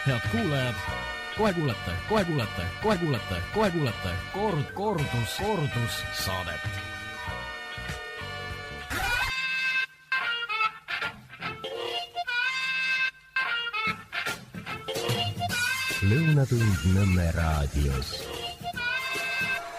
Head kuulajad, kohe kuulete kordus saadet. Lõunatund Nõmme raadios.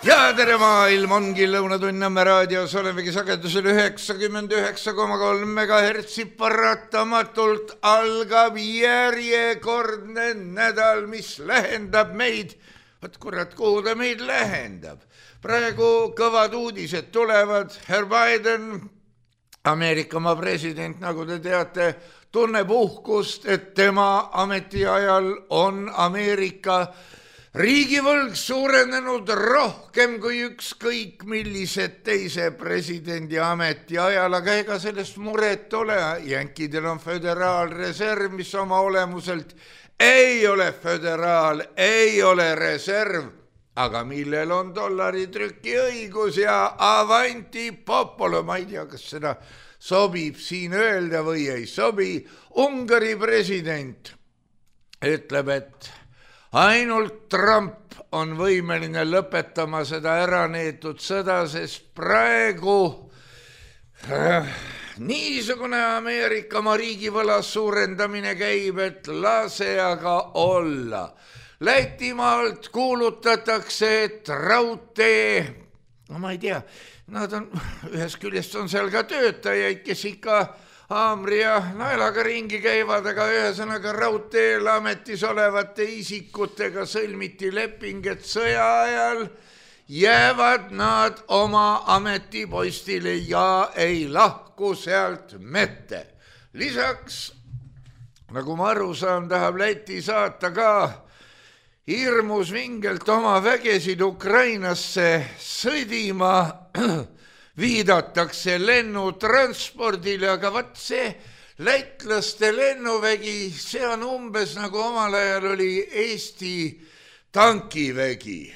Ja tere maailm, ongi Lõunatund Nõmme raadios, olemegi sagedusel 99,3 MHz, paratamatult algab järjekordne nädal, mis lähendab meid. Võt kurat, kuhu ta meid lähendab? Praegu kõvad uudised tulevad. Herr Biden, Ameerikamaa president, nagu te teate, tunneb uhkust, et tema ametiajal on Ameerika riigivõlg suurenenud rohkem kui ükskõik millised teise presidendi ametiajal, aga ega sellest muret ole. Jänkidel on föderaalreserv, mis oma olemuselt ei ole föderaal, ei ole reserv, aga millel on dollaritrüki õigus ja avanti popolo, ma ei tea, kas seda sobib siin öelda või ei sobi. Ungari president ütleb, et ainult Trump on võimeline lõpetama seda äraneetud sõda, sest praegu niisugune Ameerikamaa riigivõla suurendamine käib, et lase aga olla. Lätimaalt kuulutatakse, et raudtee, no ma ei tea, nad on, ühest küljest on seal ka töötajaid, kes ikka haamri ja naelaga ringi käivad, aga ühesõnaga raudteel ametis olevate isikutega sõlmiti leping, et sõja ajal jäävad nad oma ametipostile ja ei lahku sealt mette. Lisaks, nagu ma aru saan, tahab Läti saata ka hirmus vingelt oma vägesid Ukrainasse sõdima, viidatakse lennutranspordile, aga vaat see lätlaste lennuvägi, see on umbes nagu omal ajal oli Eesti tankivägi.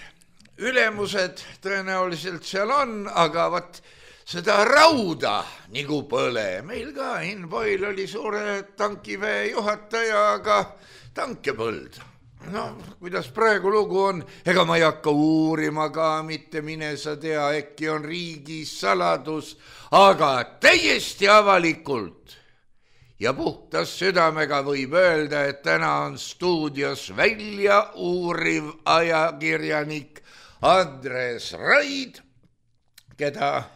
Ülemused tõenäoliselt seal on, aga vaat seda rauda nagu põle. Meil ka Inboil oli suure tankiväe juhataja, aga tanke põld. No, kuidas praegu lugu on, ega ma ei hakka uurima ka, mitte mine sa tea, äkki on riigis saladus, aga täiesti avalikult ja puhtas südamega võib öelda, et täna on stuudios välja uuriv ajakirjanik Andres Raid, keda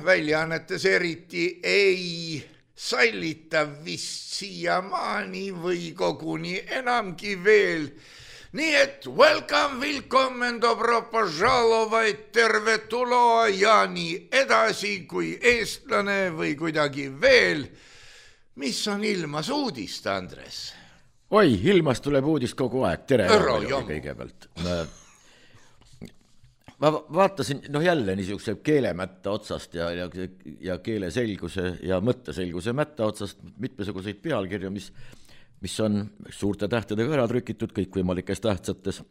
väljaannetes eriti ei sallita vist siiamaani või koguni enamgi veel. Nii et welcome, willkommen, dobro požalovaid, tervetuloa ja nii edasi kui eestlane või kuidagi veel. Mis on ilmas uudist, Andres? Oi, ilmas tuleb uudist kogu aeg. Tere kõigepealt. Ma vaatasin jälle niisuguse keelemätta otsast ja keeleselguse ja mõtteselguse mätta otsast mitmesuguseid pealkirju, mis on suurte tähtedega ära trükitud kõikvõimalikes tähtsates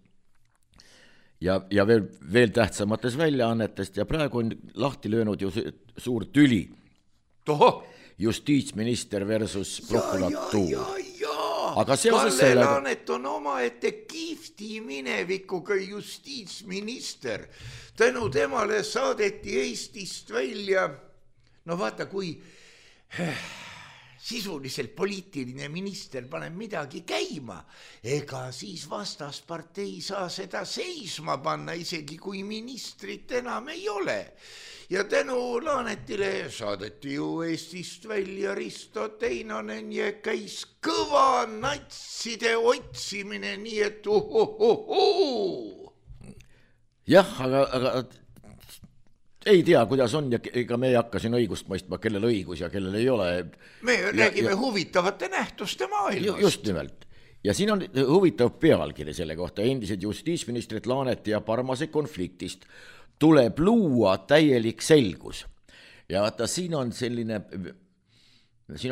ja veel tähtsamates väljaannetest ja praegu on lahti löönud ju suur tüli. Justiitsminister versus prokuratuur. Kalle Laanet on omaette kihvti minevikuga justiitsminister. Tänu temale saadeti Eestist välja. No vaata, kui sisuliselt poliitiline minister paneb midagi käima, ega siis vastaspartei saa seda seisma panna, isegi kui ministrit enam ei ole. Ja tänu Laanetile saadeti ju Eestist välja Risto Teinonen ja käis kõva natside otsimine, nii et Jah, aga ei tea, kuidas on ja ega me ei hakka siin õigust mõistma, kellel õigus ja kellel ei ole. Me räägime huvitavate nähtuste maailmast. Just nimelt. Ja siin on huvitav pealkiri selle kohta. Endised justiitsministrid Laaneti ja Parmase konfliktist tuleb luua täielik selgus. Ja vaata, siin on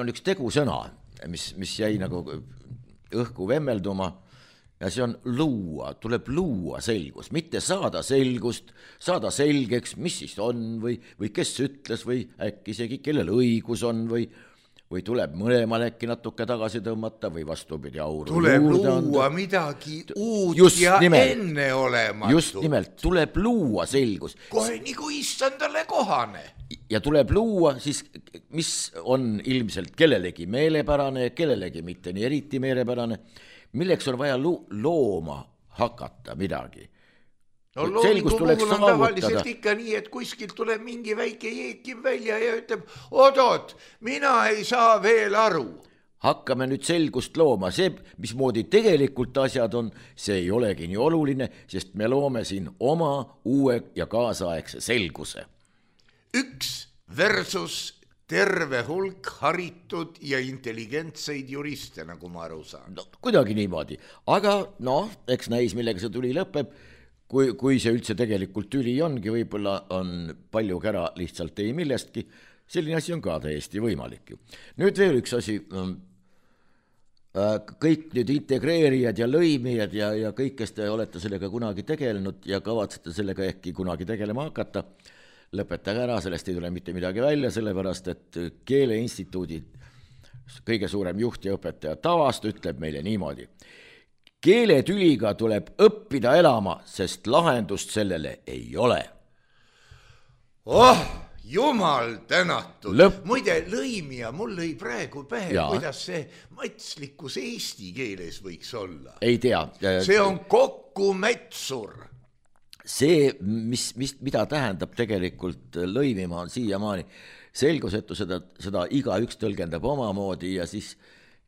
üks tegusõna, mis jäi nagu õhku vemmelduma ja see on luua, tuleb luua selgus, mitte saada selgust, saada selgeks, mis siis on või kes ütles või äkki isegi kellel õigus on või või tuleb mõlemal äkki natuke tagasi tõmmata või vastupidi auru tuleb juurde luua anda. midagi uut Just ja nimelt. enneolematut. Just nimelt, tuleb luua selgus. Kohe nagu issandale kohane. Ja tuleb luua siis, mis on ilmselt kellelegi meelepärane, kellelegi mitte nii eriti meelepärane, milleks on vaja looma hakata midagi. No loomingu puhul on tavaliselt ikka nii, et kuskilt tuleb mingi väike jeekim välja ja ütleb, odot, mina ei saa veel aru. Hakkame nüüd selgust looma, see, mismoodi tegelikult asjad on, see ei olegi nii oluline, sest me loome siin oma uue ja kaasaegse selguse. Üks versus terve hulk haritud ja intelligentseid juriste, nagu ma aru saan. No, kuidagi niimoodi, aga eks näis, millega see tuli lõpeb. Kui see üldse tegelikult tüli ongi, võib-olla on palju kära lihtsalt ei millestki, selline asi on ka täiesti võimalik ju. Nüüd veel üks asi, kõik nüüd integreerijad ja lõimijad ja kõik, kes te olete sellega kunagi tegelenud ja kavatsete sellega ehkki kunagi tegelema hakata, lõpetage ära, sellest ei tule mitte midagi välja, sellepärast et Keeleinstituudi kõige suurem juht ja õpetaja Tavast ütleb meile niimoodi. Keeletüliga tuleb õppida elama, sest lahendust sellele ei ole. Jumal tänatud. Muide, lõimija mul lõi praegu pähe, kuidas see matslikkus eesti keeles võiks olla. Ei tea. See on kokkumetsur. See, mida tähendab tegelikult lõimima on siiamaani selgusetu, seda iga üks tõlgendab omamoodi ja siis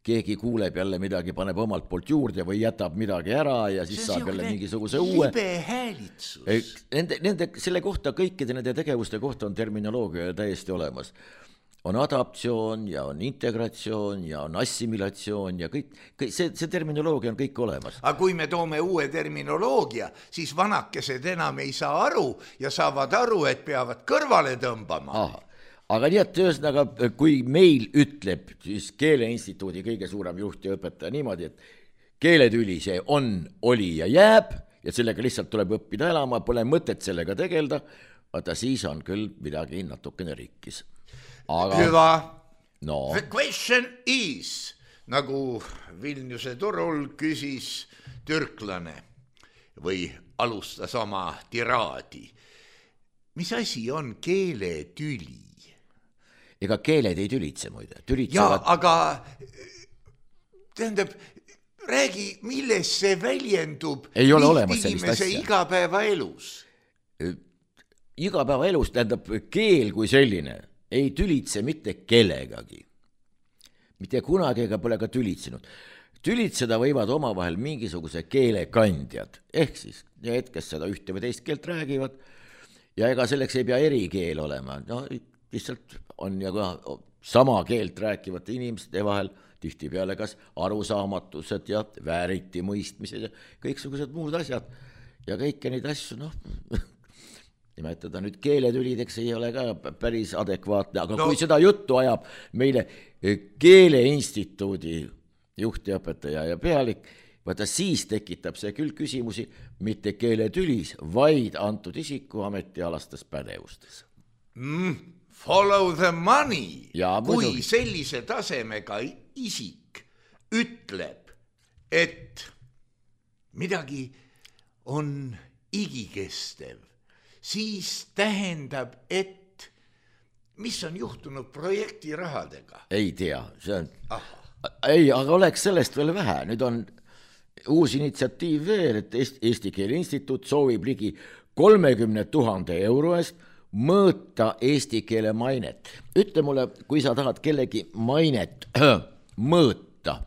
keegi kuuleb jälle midagi, paneb omalt poolt juurde või jätab midagi ära ja siis saab jälle mingisuguse uue. Libe häälitsus. Selle kohta, kõikide nende tegevuste kohta on terminoloogia täiesti olemas. On adaptsioon ja on integratsioon ja on assimilatsioon ja kõik see terminoloogia on kõik olemas. Aga kui me toome uue terminoloogia, siis vanakesed enam ei saa aru ja saavad aru, et peavad kõrvale tõmbama. Aga nii, et ühesõnaga, kui meil ütleb siis Keeleinstituudi kõige suurem juht ja õpetaja niimoodi, et keeletüli see on, oli ja jääb ja sellega lihtsalt tuleb õppida elama, pole mõtet sellega tegelda, vaata siis on küll midagi natukene rikkis. Hüva. The question is, nagu Vilniuse turul küsis türklane või alustas oma tiraadi. Mis asi on keeletüli? Ega keeled ei tülitse muide. Aga tähendab, räägi, milles see väljendub inimese igapäevaelus? Igapäevaelus tähendab keel kui selline ei tülitse mitte kellegagi. Mitte kunagi ega pole ka tülitsenud. Tülitseda võivad omavahel mingisuguse keelekandjad, ehk siis need, kes seda ühte või teist keelt räägivad ja ega selleks ei pea erikeel olema. Lihtsalt on ja ka sama keelt rääkivate inimeste vahel tihtipeale kas arusaamatused ja vääriti mõistmised ja kõiksugused muud asjad ja kõike neid asju, nimetada nüüd keeletülideks ei ole ka päris adekvaatne, aga kui seda juttu ajab meile Keeleinstituudi juht ja õpetaja ja pealik, vaata siis tekitab see küll küsimusi mitte keeletülis, vaid antud isiku ametialastes pädevustes. Follow the money. Kui sellise tasemega isik ütleb, et midagi on igikestev, siis tähendab, et mis on juhtunud projekti rahadega? Ei tea, see on... Ei, aga oleks sellest veel vähe. Nüüd on uus initsiatiiv veel, et Eesti Keeleinstituut soovib ligi 30 000 euro eest mõõta eesti keele mainet. Ütle mulle, kui sa tahad kellegi mainet mõõta,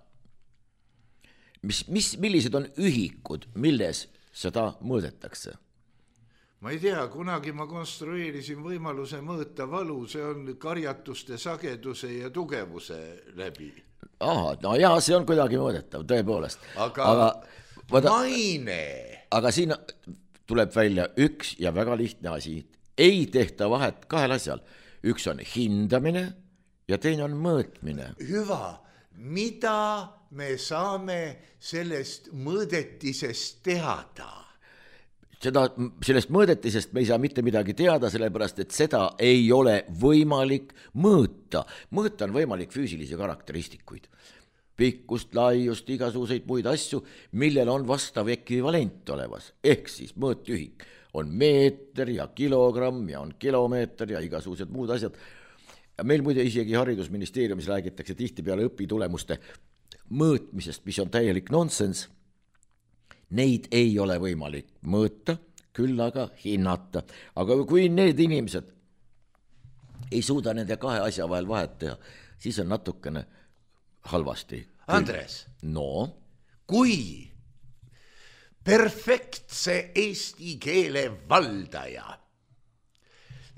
millised on ühikud, milles seda mõõdetakse? Ma ei tea, kunagi ma konstrueerisin võimaluse mõõta valu, see on karjatuste sageduse ja tugevuse läbi. See on kuidagi mõõdetav, tõepoolest. Aga maine. Aga siin tuleb välja üks ja väga lihtne asi. Ei tehta vahet kahel asjal. Üks on hindamine ja teine on mõõtmine. Hüva, mida me saame sellest mõõdetisest teada? sellest mõõdetisest me ei saa mitte midagi teada, sellepärast et seda ei ole võimalik mõõta. Mõõta on võimalik füüsilisi karakteristikuid, pikkust, laiust, igasuguseid muid asju, millel on vastav ekvivalent olevas. Ehk siis mõõtühik on meeter ja kilogramm ja on kilomeeter ja igasugused muud asjad. Meil muide isegi haridusministeeriumis räägitakse tihtipeale õpitulemuste mõõtmisest, mis on täielik nonsense. Neid ei ole võimalik mõõta, küll aga hinnata. Aga kui need inimesed ei suuda nende kahe asja vahel vahet teha, siis on natukene halvasti. Andres, no? Kui perfektse eesti keele valdaja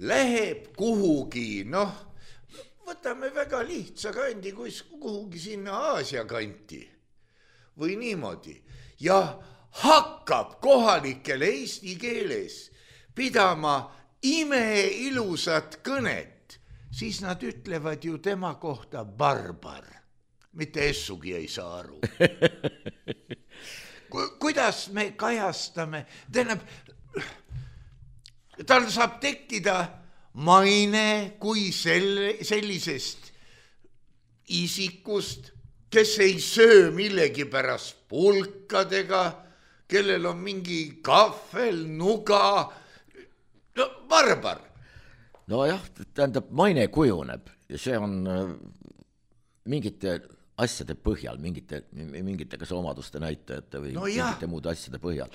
läheb kuhugi, võtame väga lihtsa kandi, kuhugi sinna Aasia kanti või niimoodi ja hakkab kohalikele eesti keeles pidama imeilusat kõnet, siis nad ütlevad ju tema kohta barbar. Mitte essugi ei saa aru. Kuidas me kajastame, tal saab tekkida maine kui sellisest isikust, kes ei söö millegipärast pulkadega, kellel on mingi kahvel, nuga, barbar. Nojah, tähendab, maine kujuneb ja see on mingite asjade põhjal, mingite kas omaduste näitajate või mingite muude asjade põhjal.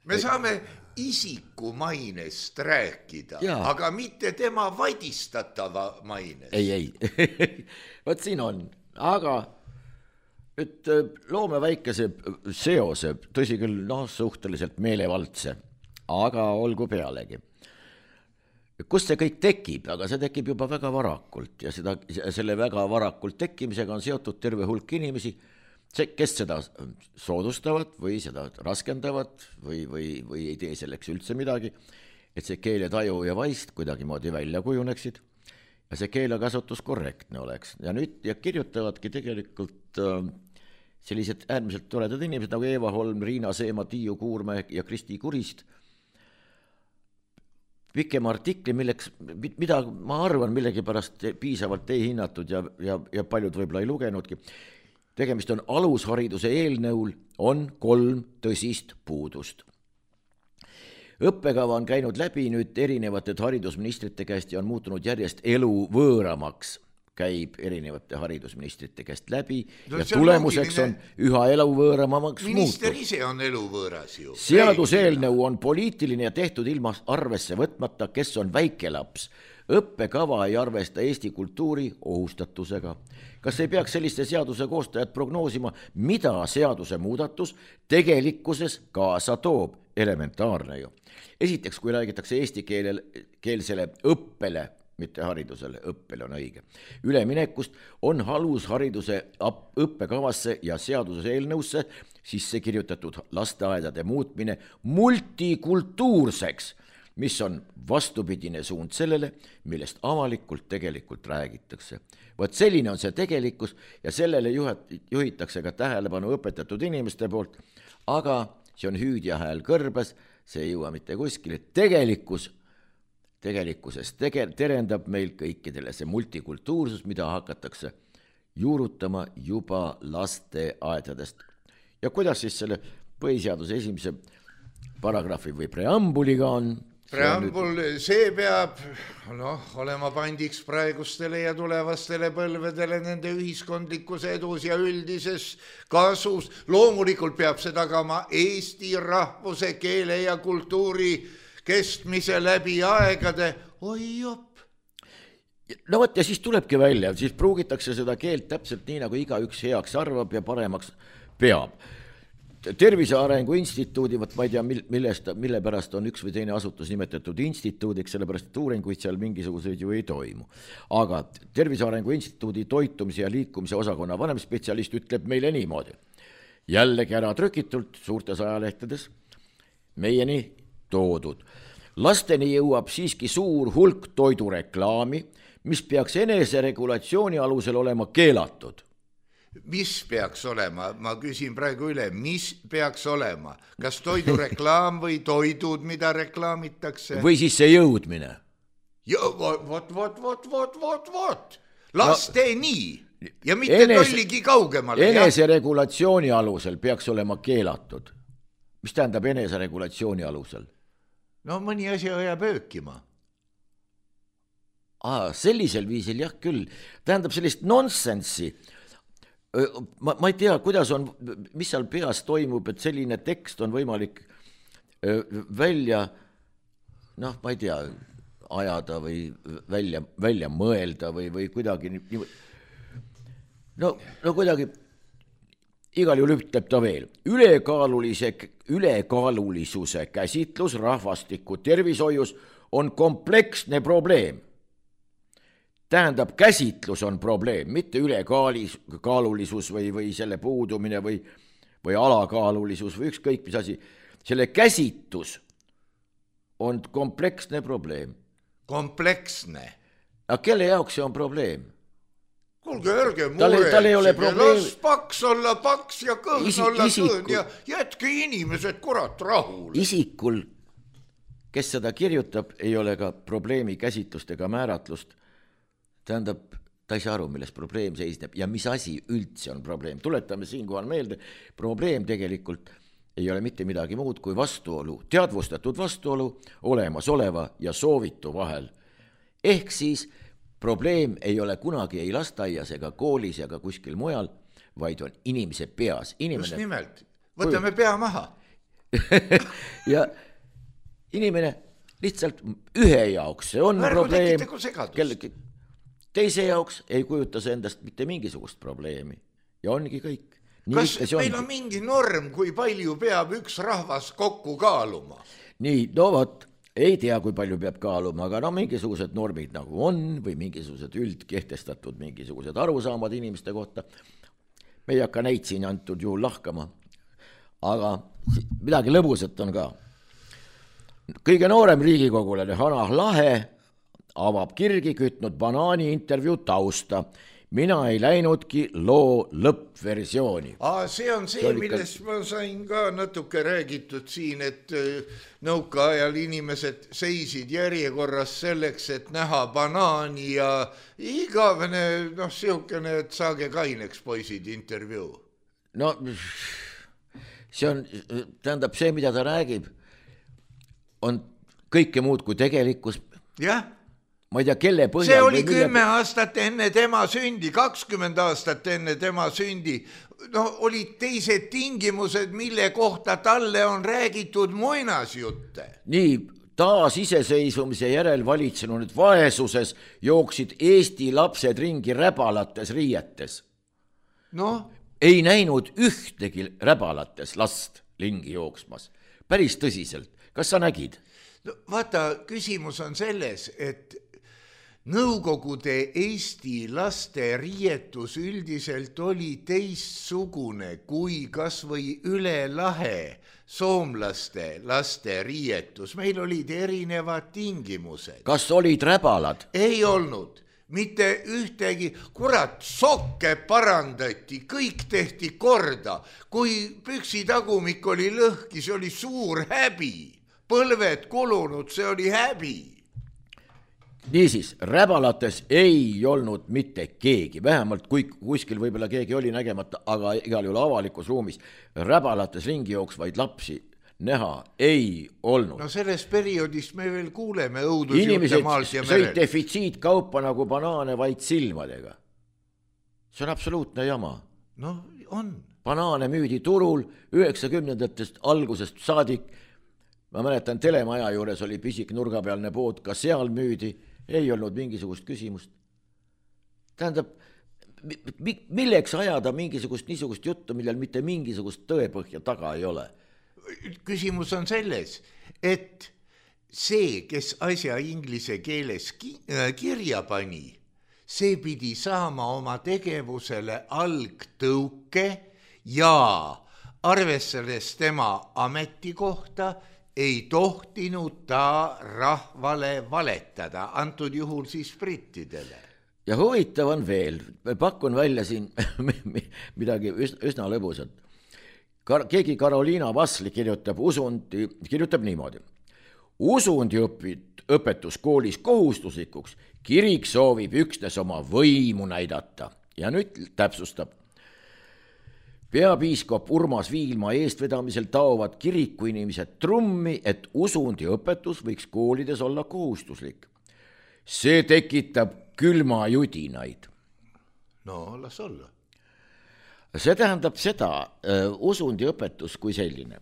Me saame isiku mainest rääkida, aga mitte tema vadistatava mainest. Ei. Võt siin on, aga et loome väikese seose, tõsi küll, suhteliselt meelevaldse, aga olgu pealegi. Kust see kõik tekib, aga see tekib juba väga varakult ja selle väga varakult tekkimisega on seotud terve hulk inimesi, kes seda soodustavad või seda raskendavad või ei tee selleks üldse midagi, et see keeletaju ja vaist kuidagimoodi välja kujuneksid ja see keelekasutus korrektne oleks. Ja nüüd kirjutavadki tegelikult sellised äärmiselt toredad inimesed nagu Eeva Holm, Riina Seema, Tiiu Kuurme ja Kristi Kurist pikema artikli, mida ma arvan millegipärast piisavalt ei hinnatud ja paljud võib-olla ei lugenudki. Tegemist on alushariduse eelnõul on 3 tõsist puudust. Õppekava on käinud läbi nüüd erinevate haridusministrite käest ja on muutunud järjest elu võõramaks. Käib erinevate haridusministrite käest läbi ja tulemuseks on üha eluvõõramaks muutud. Minister ise on eluvõõras ju. Seaduseelnõu on poliitiline ja tehtud ilma arvesse võtmata, kes on väikelaps. Õppekava ei arvesta Eesti kultuuri ohustatusega. Kas ei peaks selliste seaduse koostajad prognoosima, mida seaduse muudatus tegelikkuses kaasa toob? Elementaarne ju. Esiteks, kui räägitakse eesti keelsele õppele, mitte haridusele, õppele on õige. Üleminekust on alushariduse õppekavasse ja seaduse eelnõusse sisse kirjutatud lasteaedade muutmine multikultuurseks, mis on vastupidine suund sellele, millest avalikult tegelikult räägitakse. Võt selline on see tegelikkus ja sellele juhitakse ka tähelepanu õpetatud inimeste poolt, aga see on hüüdja hääl kõrbes, see ei jõua mitte kuskile. Tegelikkuses terendab meil kõikidele see multikultuursus, mida hakatakse juurutama juba lasteaedadest. Ja kuidas siis selle põhiseaduse esimese paragrahvi või preambuliga on? Preambul, see peab olema pandiks praegustele ja tulevastele põlvedele nende ühiskondlikus edus ja üldises kasus. Loomulikult peab see tagama eesti rahvuse, keele ja kultuuri kestmise läbi aegade. Oi jopp. No võt, ja siis tulebki välja, siis pruugitakse seda keelt täpselt nii, nagu igaüks heaks arvab ja paremaks peab. Tervise Arengu Instituudi, ma ei tea, mille pärast on üks või teine asutus nimetatud instituudiks, sellepärast et uuringuid seal mingisuguseid ju ei toimu. Aga Tervise Arengu Instituudi toitumise ja liikumise osakonna vanemspetsialist ütleb meile niimoodi. Jällegi ära trükitult suurtes ajalehtedes meieni toodud. Lasteni jõuab siiski suur hulk toidureklaami, mis peaks eneseregulatsiooni alusel olema keelatud. mis peaks olema, ma küsin praegu üle, mis peaks olema, kas toidureklaam või toidud, mida reklaamitakse? Või siis see jõudmine. Vot, lasteni ja mitte tolligi kaugemale. Eneseregulatsiooni alusel peaks olema keelatud. Mis tähendab eneseregulatsiooni alusel? No mõni asi jääb öökima. Sellisel viisil jah küll, tähendab sellist nonsensi. Ma ei tea, kuidas on, mis seal peas toimub, et selline tekst on võimalik välja, ma ei tea, ajada või välja mõelda või kuidagi no kuidagi igal juhul ütleb ta veel. Ülekaalulisuse käsitlus rahvastiku tervishoius on kompleksne probleem. Tähendab, käsitlus on probleem, mitte ülekaalulisus või selle puudumine või alakaalulisus või ükskõik mis asi. Selle käsitlus on kompleksne probleem. Kompleksne? Aga kelle jaoks see on probleem? Kuulge, ärge muretsege, las paks olla paks ja kõhn olla kõhn ja jätke inimesed kurat rahule. Isikul, kes seda kirjutab, ei ole ka probleemi käsitlust ega määratlust. Tähendab, ta ei saa aru, milles probleem seisneb ja mis asi üldse on probleem. Tuletame siinkohal meelde, probleem tegelikult ei ole mitte midagi muud kui vastuolu, teadvustatud vastuolu olemasoleva ja soovitu vahel. Ehk siis probleem ei ole kunagi ei lasteaias ega koolis ega kuskil mujal, vaid on inimese peas. Just nimelt, võtame pea maha. Ja inimene lihtsalt ühe jaoks, see on probleem. Teise jaoks ei kujuta see endast mitte mingisugust probleemi ja ongi kõik. Kas meil on mingi norm, kui palju peab üks rahvas kokku kaaluma? Nii, no vot, ei tea, kui palju peab kaaluma, aga mingisugused normid nagu on või mingisugused üldkehtestatud mingisugused arusaamad inimeste kohta. Me ei hakka neid siin antud juhul lahkama, aga midagi lõbusat on ka. Kõige noorem riigikogulane Hanah Lahe avab kirgi kütnud banaani intervjuu tausta. Mina ei läinudki loo lõppversiooni. See on see, millest ma sain ka natuke räägitud siin, et nõukaajal inimesed seisid järjekorras selleks, et näha banaani ja igavene, siukene, et saage kaineks poisid intervjuu. No, see on, tähendab see, mida ta räägib, on kõike muud kui tegelikkus. Jah. Ma ei tea, kelle põhjal. See oli 10 aastat enne tema sündi, 20 aastat enne tema sündi. Olid teised tingimused, mille kohta talle on räägitud muinasjutte. Nii, taas iseseisvumise järel valitsenud vaesuses jooksid Eesti lapsed ringi räbalates riietes. Ei näinud ühtegi räbalates last lingi jooksmas. Päris tõsiselt. Kas sa nägid? Vaata, küsimus on selles, et Nõukogude Eesti laste riietus üldiselt oli teistsugune kui kas või üle lahe soomlaste laste riietus. Meil olid erinevad tingimused. Kas olid räbalad? Ei olnud. Mitte ühtegi, kurat, sokke parandati, kõik tehti korda. Kui püksitagumik oli lõhki, see oli suur häbi. Põlved kulunud, see oli häbi. Niisiis, räbalates ei olnud mitte keegi, vähemalt kui kuskil võib-olla keegi oli nägemata, aga igal juhul avalikus ruumis räbalates ringi jooksvaid lapsi näha ei olnud. Sellest perioodist me veel kuuleme õudusjutte maalt ja merel. Inimesed sõid defitsiitkaupa nagu banaane vaid silmadega. See on absoluutne jama. On. Banaane müüdi turul 90-ndatest algusest saadik. Ma mäletan, telemaja juures oli pisik nurgapealne pood, ka seal müüdi. Ei olnud mingisugust küsimust. Tähendab, milleks ajada mingisugust niisugust juttu, millel mitte mingisugust tõepõhja taga ei ole? Küsimus on selles, et see, kes asja inglise keeles kirja pani, see pidi saama oma tegevusele algtõuke ja arvestades tema ametikohta ei tohtinud ta rahvale valetada, antud juhul siis brittidele. ja huvitav on veel, pakun välja siin midagi üsna lõbusat. Keegi Karoliina Vassli kirjutab niimoodi. Usundi õpetus koolis kohustuslikuks, kirik soovib üksnes oma võimu näidata ja nüüd täpsustab. Peapiiskop Urmas Viilma eestvedamisel taovad kirikuinimesed trummi, et usundi õpetus võiks koolides olla kohustuslik. See tekitab külmajudinaid. No, las olla. See tähendab seda, usundi õpetus kui selline.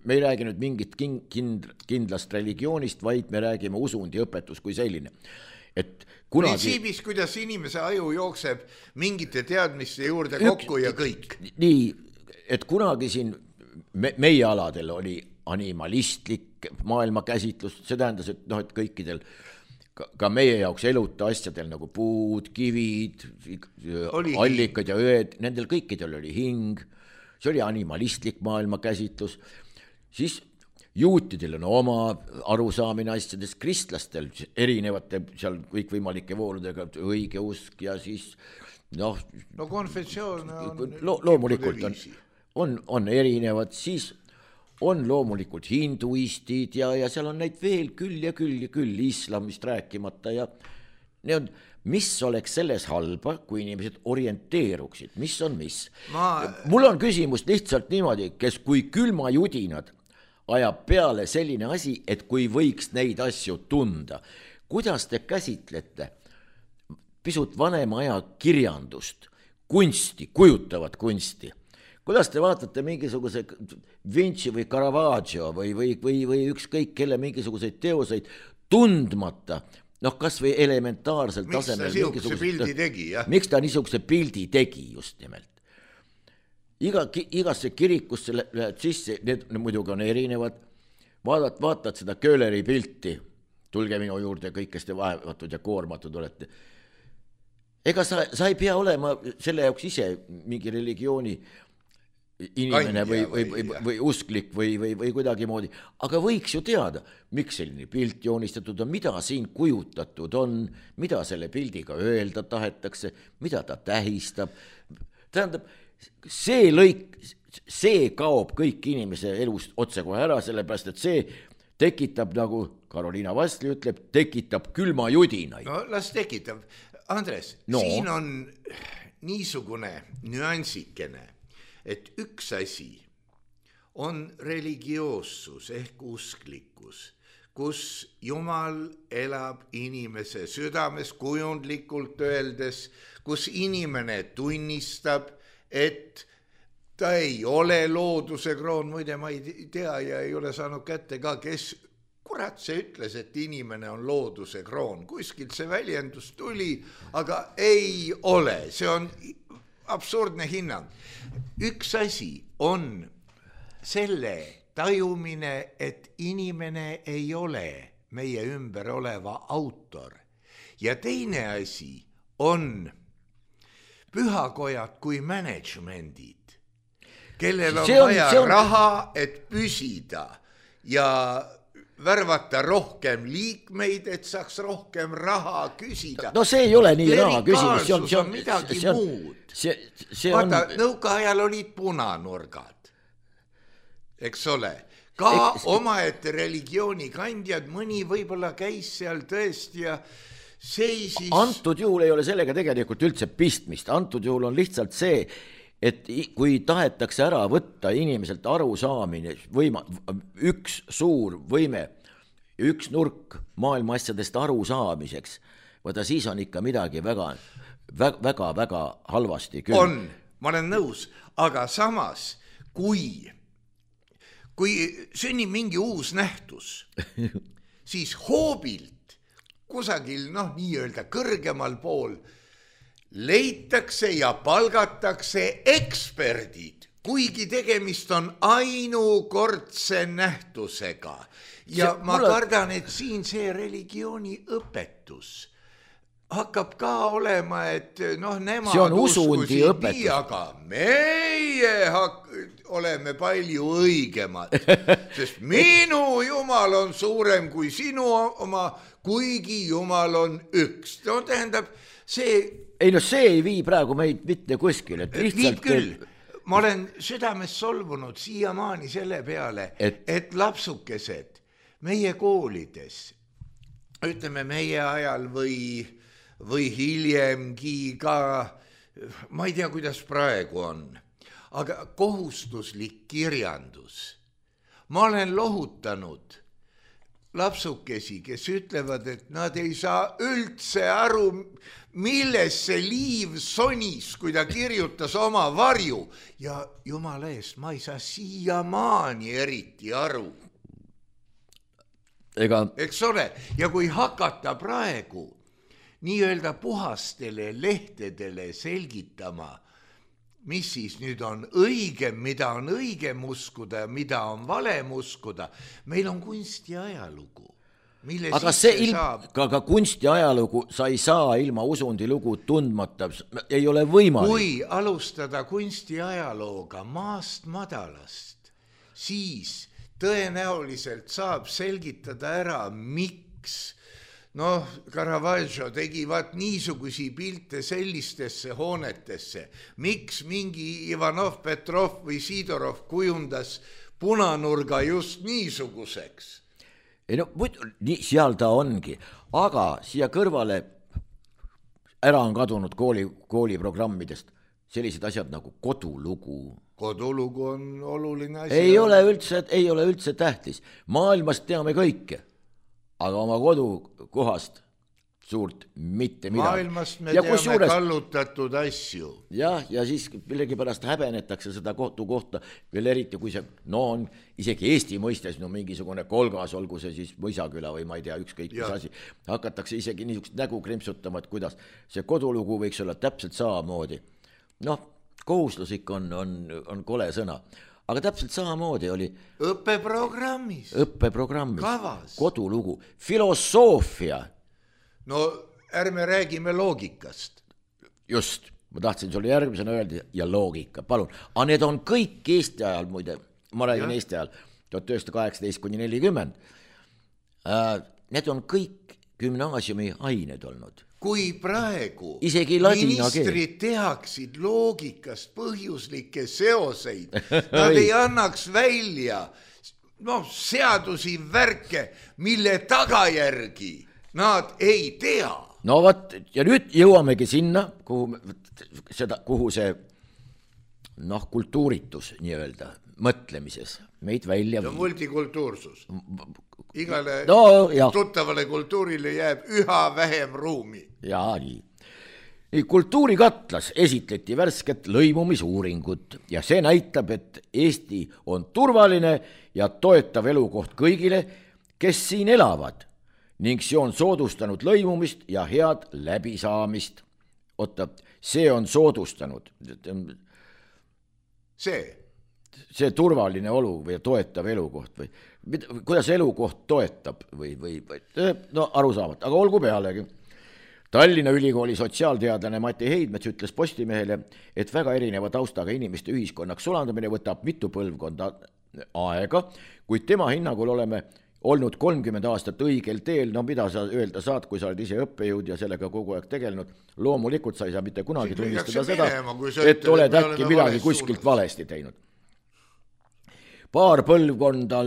Me ei räägi nüüd mingit kindlast religioonist, vaid me räägime usundi õpetus kui selline. Et kunagi... Printsiibis, kuidas inimese aju jookseb mingite teadmiste juurde kokku ja kõik. Nii, et kunagi siin meie aladel oli animalistlik maailmakäsitlus, see tähendas, et, et kõikidel ka meie jaoks eluta asjadel nagu puud, kivid, allikad ja ööd, nendel kõikidel oli hing, see oli animalistlik maailmakäsitlus, siis juutidel on oma arusaamine asjadest, kristlastel erinevate seal kõikvõimalike vooludega õige usk ja siis no konfessioon on loomulikult on erinevad, siis on loomulikult hinduistid ja seal on neid veel küll ja küll islamist rääkimata ja mis oleks selles halba, kui inimesed orienteeruksid, mis on mis. Mul on küsimus lihtsalt niimoodi, kui külmajudinad ajab peale selline asi, et kui võiks neid asju tunda. Kuidas te käsitlete pisut vanema aja kirjandust, kunsti, kujutavat kunsti? Kuidas te vaatate mingisuguse Vinci või Caravaggio või ükskõik kelle mingisuguseid teoseid tundmata, kas või elementaarsel tasemel. Miks ta niisuguse pildi tegi just nimelt? Igasse kirikusse lähed sisse, need muidugi on erinevad, vaatad seda Köhleri pilti, tulge minu juurde kõik, kes te vaevatud ja koormatud olete. Ega sa ei pea olema selle jaoks ise mingi religiooni inimene või usklik või kuidagi moodi, aga võiks ju teada, miks selline pilt joonistatud on, mida siin kujutatud on, mida selle pildiga öelda tahetakse, mida ta tähistab. Tähendab, see kaob kõik inimese elust otsekohe ära, sellepärast, et see tekitab, nagu Karoliina Vassli ütleb, tekitab külmajudinaid. No las tekitab. Andres, siin on niisugune nüansikene, et üks asi on religioossus ehk usklikkus, kus Jumal elab inimese südames kujundlikult öeldes, kus inimene tunnistab, et ta ei ole looduse kroon, muide ma ei tea ja ei ole saanud kätte ka, kes kurat see ütles, et inimene on looduse kroon. Kuskilt see väljendus tuli, aga ei ole, see on absurdne hinnang. Üks asi on selle tajumine, et inimene ei ole meie ümber oleva autor. Ja teine asi on pühakojad kui managemendid, kellel on vaja raha, et püsida ja värvata rohkem liikmeid, et saaks rohkem raha küsida. No see ei ole nii raha küsimus. See on midagi muud. Vaata, nõukaajal olid punanurgad, eks ole. Ka omaette religiooni kandjad, mõni võib-olla käis seal tõesti ja seisis. Antud juhul ei ole sellega tegelikult üldse pistmist. Antud juhul on lihtsalt see, et kui tahetakse ära võtta inimeselt arusaamine, üks suur võime, üks nurk maailma asjadest arusaamiseks, võta siis on ikka midagi väga halvasti küll. On, ma olen nõus, aga samas, kui sünnib mingi uus nähtus, siis hoobilt kusagil, nii-öelda kõrgemal pool leitakse ja palgatakse eksperdid, kuigi tegemist on ainukordse nähtusega. Ja ma kardan, et siin see religiooni õpetus hakkab ka olema, et nemad uskusid nii, aga meie oleme palju õigemad, sest minu Jumal on suurem kui sinu oma, kuigi Jumal on üks. No tähendab, see... Ei no see ei vii praegu meid mitte kuskil, et lihtsalt... Viib küll. Ma olen südames solvunud siiamaani selle peale, et lapsukesed meie koolides, ütleme meie ajal või hiljemgi ka, ma ei tea, kuidas praegu on, aga kohustuslik kirjandus. Ma olen lohutanud lapsukesi, kes ütlevad, et nad ei saa üldse aru, milles see liiv sonis, kui ta kirjutas oma varju. Ja jumala eest, ma ei saa siiamaani eriti aru. Eks ole, ja kui hakata praegu nii-öelda puhastele lehtedele selgitama, mis siis nüüd on õigem, mida on õigem uskuda ja mida on valem uskuda. Meil on kunst ja ajalugu, mille aga see ka kunst ja ajalugu sa ei saa ilma usundilugu tundmata, ei ole võimalik. Kui alustada kunsti ajalooga maast madalast, siis tõenäoliselt saab selgitada ära, miks Caravaggio tegi niisugusi pilte sellistesse hoonetesse. Miks mingi Ivanov, Petrov või Sidorov kujundas punanurga just niisuguseks? Ei no, seal ta ongi, aga siia kõrvale ära on kadunud kooliprogrammidest sellised asjad nagu kodulugu. Kodulugu on oluline asi. Ei ole üldse tähtis. Maailmast teame kõike. Aga oma kodukohast suurt mitte midagi. Maailmast me teame kallutatud asju. Ja siis millegipärast häbenetakse seda kohta, veel eriti kui see, on isegi Eesti mõistes mingisugune kolgas, olgu see siis Mõisaküla või ma ei tea, ükskõik mis asi. Hakatakse isegi niisugust nägu krimpsutama, et kuidas see kodulugu võiks olla täpselt samamoodi. Kohustuslik on kole sõna. Aga täpselt samamoodi oli õppeprogrammis, kavas, kodulugu, filosoofia. No ärme räägime loogikast. Just, ma tahtsin sulle järgmisena öelda ja loogika, palun. Aga need on kõik Eesti ajal, muide, ma räägin Eesti ajal, 1918–40. Need on kõik gümnaasiumi ained olnud. Kui praegu ministrid tehaksid loogikast põhjuslikke seoseid, nad ei annaks välja seadusi värke, mille tagajärgi nad ei tea. No võt, ja nüüd jõuamegi sinna, kuhu see kultuuritus nii-öelda mõtlemises meid välja viib. Multikultuursus. Igale tuttavale kultuurile jääb üha vähem ruumi. Jaa, nii. Kultuurikatlas esitleti värsket lõimumisuuringut ja see näitab, et Eesti on turvaline ja toetav elukoht kõigile, kes siin elavad ning see on soodustanud lõimumist ja head läbisaamist. Oota, see on soodustanud. See turvaline olu või toetav elukoht või kuidas elukoht toetab või arusaamata, aga olgu pealegi. Tallinna Ülikooli sotsiaalteadlane Mati Heidmets ütles Postimehele, et väga erineva taustaga inimeste ühiskonnaks sulandamine võtab mitu põlvkonda aega, kuid tema hinnangul oleme olnud 30 aastat õigel teel, mida sa öelda saad, kui sa oled ise õppejõud ja sellega kogu aeg tegelenud. Loomulikult sa ei saa mitte kunagi tunnistada seda, et oled äkki midagi kuskilt valesti teinud. Paar põlvkonda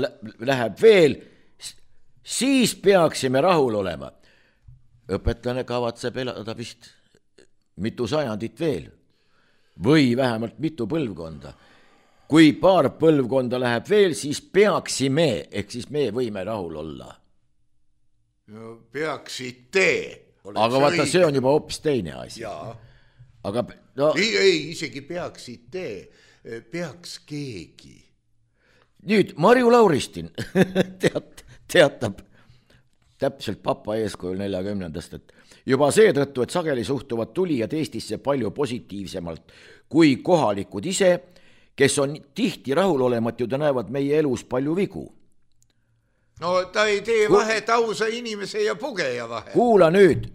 läheb veel, siis peaksime rahul olema. Õpetlane kavatseb elada vist mitu sajandit veel või vähemalt mitu põlvkonda. Kui paar põlvkonda läheb veel, siis peaksime, ehk siis me võime rahul olla. No, peaksite. Aga vaata, see on juba hoopis teine asi. Aga, ei, isegi peaksite, peaks keegi. Nüüd Marju Lauristin teatab täpselt papa eeskujul 40-ndast, et juba seetõttu, et sageli suhtuvad tulijad Eestisse palju positiivsemalt kui kohalikud ise, kes on tihti rahulolematud ja näevad meie elus palju vigu. No ta ei tee vahet ausa inimese ja pugeja vahe. Kuula nüüd.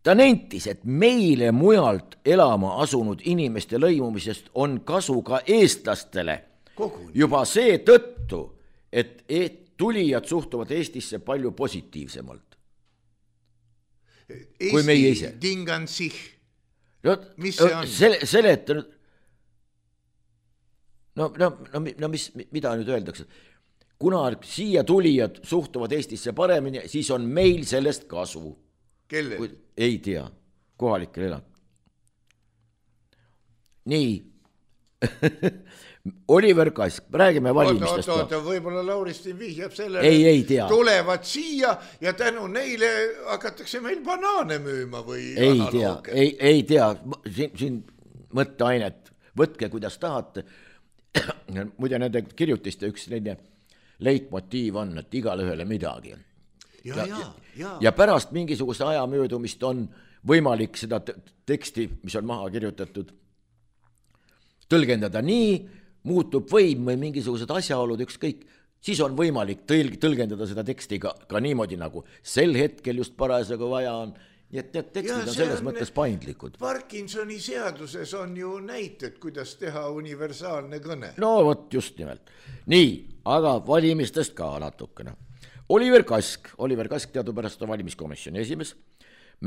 Ta nentis, et meile mujalt elama asunud inimeste lõimumisest on kasu ka eestlastele. Juba see tõttu, et tulijad suhtuvad Eestisse palju positiivsemalt kui meie ise. Tingan sich. No, mis see on? Seleta nüüd. No mida nüüd öeldakse? Kuna siia tulijad suhtuvad Eestisse paremini, siis on meil sellest kasu. Kelle? Ei tea, kohalikel elab. Nii. Oliver Kask, räägime valimistest. Oota, võib-olla Lauristin vihjab sellele, ei tea. Tulevad siia ja tänu neile hakatakse meil banaane müüma või ei tea, ei tea, siin mõtteainet, võtke kuidas tahate. Muide nende kirjutiste üks leitmotiiv on, et igale ühele midagi. Ja pärast mingisuguse aja möödumist on võimalik seda teksti, mis on maha kirjutatud, tõlgendada nii, muutub võim või mingisugused asjaolud, ükskõik, siis on võimalik tõlgendada seda teksti ka niimoodi, nagu sel hetkel just parasjagu vaja on. Nii et need tekstid on selles mõttes paindlikud. Parkinsoni seaduses on ju näited, kuidas teha universaalne kõne. No võt just nimelt. Nii, aga valimistest ka natukene. Oliver Kask teadupärast on valimiskomisjoni esimees.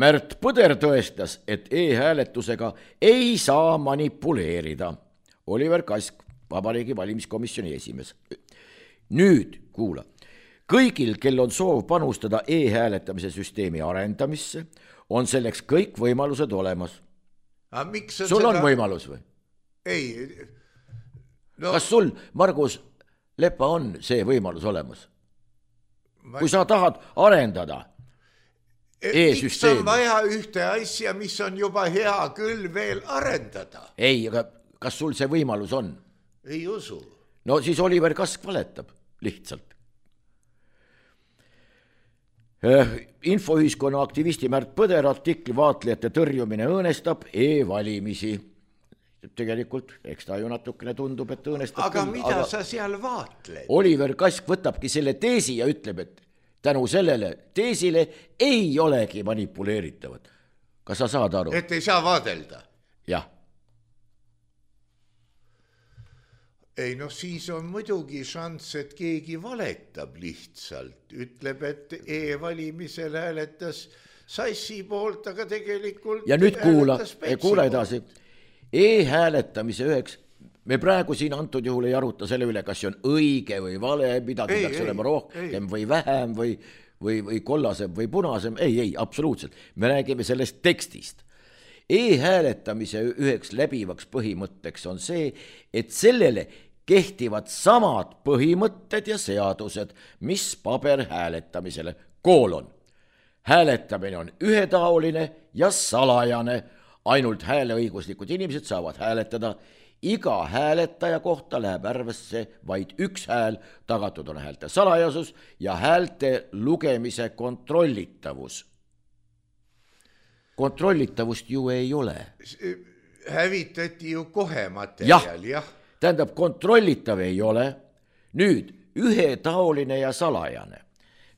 Märt Põder tõestas, et e-hääletusega ei saa manipuleerida. Oliver Kask, Vabariigi valimiskomisjoni esimees. Nüüd, kuula, kõigil, kel on soov panustada e-hääletamise süsteemi arendamisse, on selleks kõik võimalused olemas. Sul on võimalus või? Ei. No, kas sul, Margus Lepa, on see võimalus olemas? Kui sa tahad arendada e-süsteemi. Miks on vaja ühte asja, mis on juba hea küll veel arendada? Ei, aga kas sul see võimalus on? Ei usu. No siis Oliver Kask valetab lihtsalt. Infoühiskonna aktivisti Märt Põder artikli vaatlejate tõrjumine õõnestab e-valimisi. Tegelikult, eks ta ju natukene tundub, et õõnestab. Aga mida sa seal vaatled? Oliver Kask võtabki selle teesi ja ütleb, et tänu sellele teesile ei olegi manipuleeritavad. Kas sa saad aru? Et ei saa vaadelda? Jah. Ei, no siis on muidugi šans, et keegi valetab lihtsalt. Ütleb, et e-valimisel hääletas Sassi poolt, aga tegelikult ja nüüd kuula edasi. E-hääletamise üheks, me praegu siin antud juhul ei aruta selle üle, kas see on õige või vale, mida peaks olema rohkem või vähem või kollasem või punasem. Ei, absoluutselt. Me räägime sellest tekstist. E-hääletamise üheks läbivaks põhimõtteks on see, et sellele kehtivad samad põhimõtted ja seadused, mis paberhääletamisele. Hääletamine on ühetaoline ja salajane. Ainult hääleõiguslikud inimesed saavad hääletada. Iga hääletaja kohta läheb arvesse vaid üks hääl, tagatud on häälte salajasus ja häälte lugemise kontrollitavus. Kontrollitavust ju ei ole. Hävitati ju kohe materjal, jah. Tähendab, kontrollitav ei ole. Nüüd, ühetaoline ja salajane.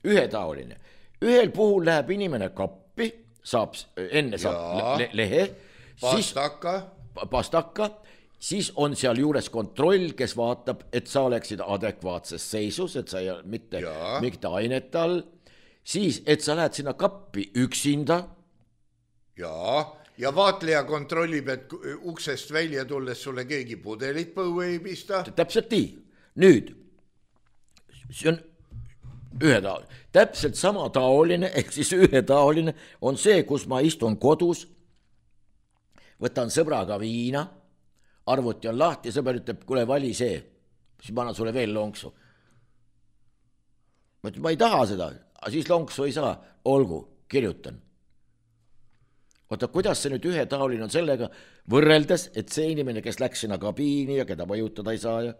Ühetaoline. Ühel puhul läheb inimene kappi, saab lehe, pastaka, siis on seal juures kontroll, kes vaatab, et sa oleksid adekvaatses seisus, et sa ei ole mitte ainete all, siis, et sa lähed sinna kappi üksinda. Ja vaatleja kontrollib, et uksest välja tulles sulle keegi pudelit põue ei pista. Täpselt nii. Nüüd, see on ühetaoline. Täpselt sama taoline, ehk siis ühetaoline on see, kus ma istun kodus, võtan sõbraga viina, arvuti on lahti, sõber ütleb, kuule vali see, siis ma annan sulle veel lonksu. Ma ei taha seda, siis lonksu ei saa, olgu, kirjutan. Oota, kuidas see nüüd ühetaoline on sellega võrreldes, et see inimene, kes läks sinna kabiini ja keda mõjutada ei saa ja...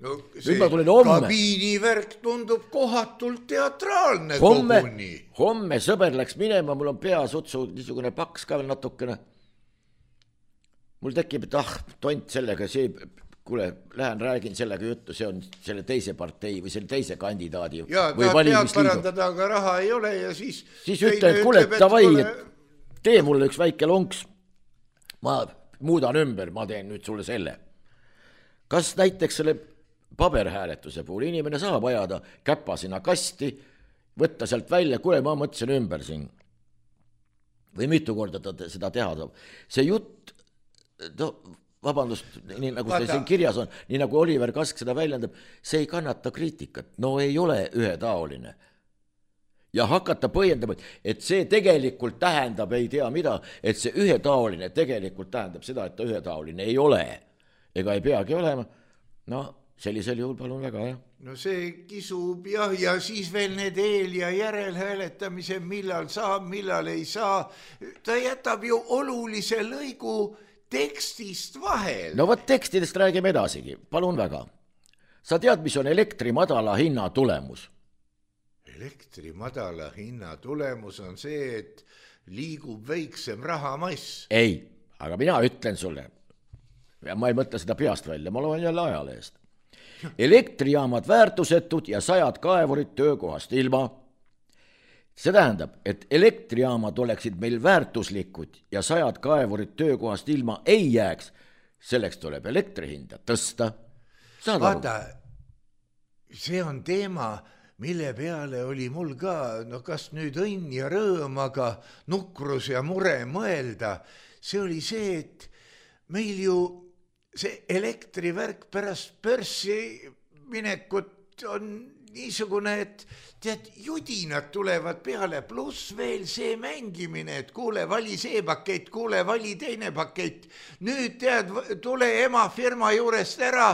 No see kabiinivärk tundub kohatult teatraalne koguni. Homme sõber läks minema, mul on peas otsu niisugune paks ka veel natukene. Mul tekib, et tont sellega, kuule, lähen räägin sellega juttu, see on selle teise partei või selle teise kandidaadi või valimisliidu. Pead parandada, aga raha ei ole ja siis ütleb, kuule, tavai, et tee mulle üks väike lonks, ma muudan ümber, ma teen nüüd sulle selle. Kas näiteks selle paberhääletuse puhul inimene saab ajada käpa sinna kasti, võtta sealt välja, kuule, ma mõtlesin ümber siin. Või mitu korda ta seda teha saab. See jutt, vabandust, nii nagu see siin kirjas on, nii nagu Oliver Kask seda väljendab, see ei kannata kriitikat. No ei ole ühetaoline. Ja hakata põhjendama, et see tegelikult tähendab, ei tea mida, et see ühetaoline tegelikult tähendab seda, et ta ühetaoline ei ole. Ega ei peagi olema. No sellisel juhul palun väga, jah. No see kisub jah, ja siis veel need eel- ja järelhääletamise, millal saab, millal ei saa. Ta jätab ju olulise lõigu tekstist vahel. No võt tekstidest räägime edasigi, palun väga. Sa tead, mis on elektri madala hinna tulemus? Elektri madala hinna tulemus on see, et liigub väiksem rahamass. Ei, aga mina ütlen sulle, ja ma ei mõtle seda peast välja, ma loen jälle ajalehest. Elektrijaamad väärtusetud ja 100 kaevurit töökohast ilma. See tähendab, et elektrijaamad oleksid meil väärtuslikud ja 100 kaevurit töökohast ilma ei jääks. Selleks tuleb elektrihinda tõsta. Vaata, see on teema, mille peale oli mul ka, no kas nüüd õnn ja rõõm, aga nukrus ja mure mõelda. See oli see, et meil ju see elektrivärk pärast börsi minekut on niisugune, et tead, judinad tulevad peale, pluss veel see mängimine, et kuule, vali see pakett, kuule, vali teine pakett. Nüüd tead, tule ema firma juurest ära,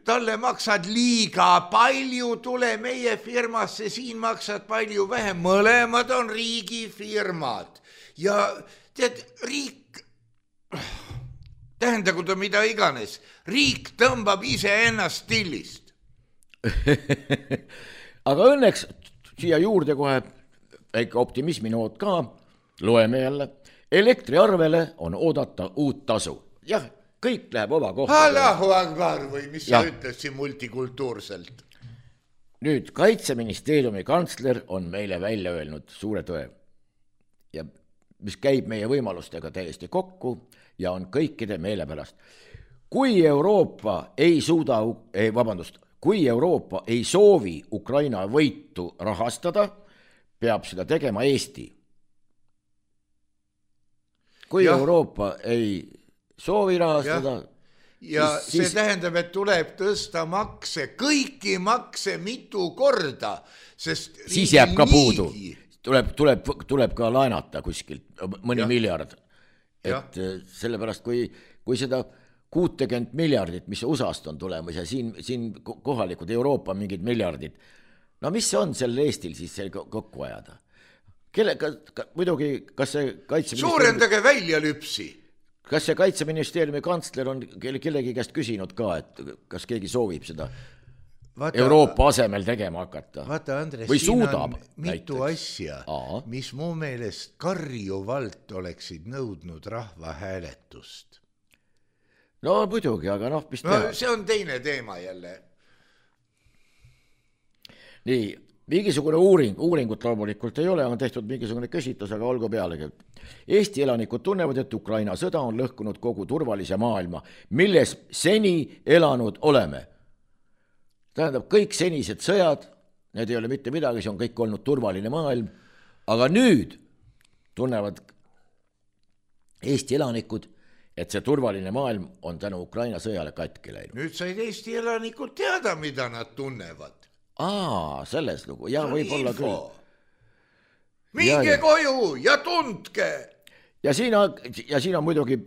talle maksad liiga palju, tule meie firmasse, siin maksad palju vähem, mõlemad on riigifirmad. Ja tead, riik, tähendagu ta mida iganes, riik tõmbab ise ennast stillist. Aga õnneks siia juurde kohe väike optimisminoot ka, loeme jälle, elektriarvele on oodata uut tasu. Jah, kõik läheb oma kohta. Allahu akbar või mis sa ütles siin multikultuurselt? Nüüd Kaitseministeeriumi kantsler on meile välja öelnud suure tõe, ja mis käib meie võimalustega täiesti kokku ja on kõikide meele pärast. Kui Euroopa ei soovi Ukraina võitu rahastada, peab seda tegema Eesti. Kui Euroopa ei soovi rahastada... Ja see tähendab, et tuleb tõsta makse, kõiki makse mitu korda, sest siis jääb ka puudu. Tuleb ka laenata kuskilt mõni miljard. Et sellepärast, kui seda 60 miljardit, mis USA-st on tulemas ja siin kohalikud Euroopa mingid miljardid, no mis on sel Eestil siis kokku ajada? Muidugi, kas see Kaitseministeeriumi... Suurendage välja lüpsi! Kas see Kaitseministeeriumi kantsler on kellegi käest küsinud ka, et kas keegi soovib seda Euroopa asemel tegema hakata? Vaata, Andres, või siin suudab, on mitu asja, mis mu meelest karjuvalt oleksid nõudnud rahvahääletust. No muidugi, aga mis teha? See on teine teema jälle. Nii, mingisugune uuringut loomulikult ei ole, on tehtud mingisugune küsitlus, aga olgu pealegi. Eesti elanikud tunnevad, et Ukraina sõda on lõhkunud kogu turvalise maailma, milles seni elanud oleme. Tähendab, kõik senised sõjad, need ei ole mitte midagi, see on kõik olnud turvaline maailm, aga nüüd tunnevad Eesti elanikud, et see turvaline maailm on tänu Ukraina sõjale katki läinud. Nüüd said Eesti elanikud teada, mida nad tunnevad. Selles lugu, ja võib-olla küll. Minge koju ja tundke! Ja siin on muidugi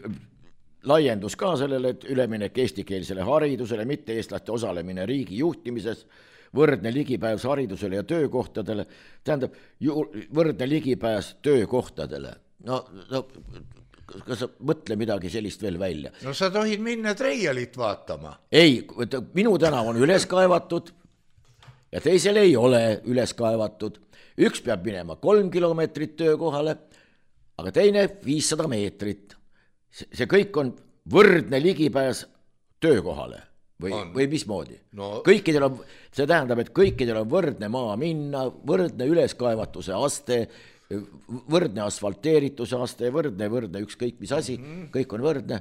laiendus ka sellele, et üleminek eestikeelsele haridusele, mitte eestlaste osalemine riigi juhtimises, võrdne ligipääs haridusele ja töökohtadele, tähendab võrdne ligipääs töökohtadele. No kas sa mõtle midagi sellist veel välja? No sa tohid minna Treialit vaatama. Ei, minu tänav on üles kaevatud ja teisel ei ole üles kaevatud. Üks peab minema 3 kilomeetrit töökohale, aga teine 500 meetrit. See kõik on võrdne ligipääs töökohale või mismoodi? No. See tähendab, et kõikidel on võrdne maa minna, võrdne üleskaevatuse aste, võrdne asfalteerituse aste, võrdne ükskõik mis asi, kõik on võrdne.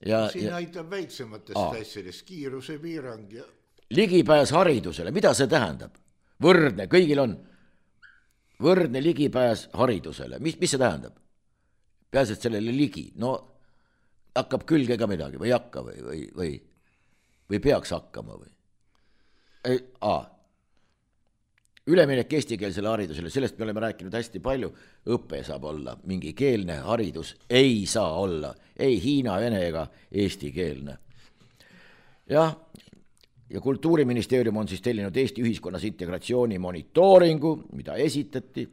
siin aitab väiksematest asjadest, kiirusepiirang ja ligipääs haridusele, mida see tähendab? Võrdne, kõigil on võrdne ligipääs haridusele, mis see tähendab? Peaasi, et sellele ligi, no hakkab külge ka midagi või hakka või peaks hakkama või? Üleminek eestikeelsele haridusele, sellest me oleme rääkinud hästi palju, õpe saab olla, mingi keelne haridus ei saa olla, ei hiina, vene ega eestikeelne. Ja Kultuuriministeerium on siis tellinud Eesti ühiskonnas integratsiooni monitooringu, mida esitati,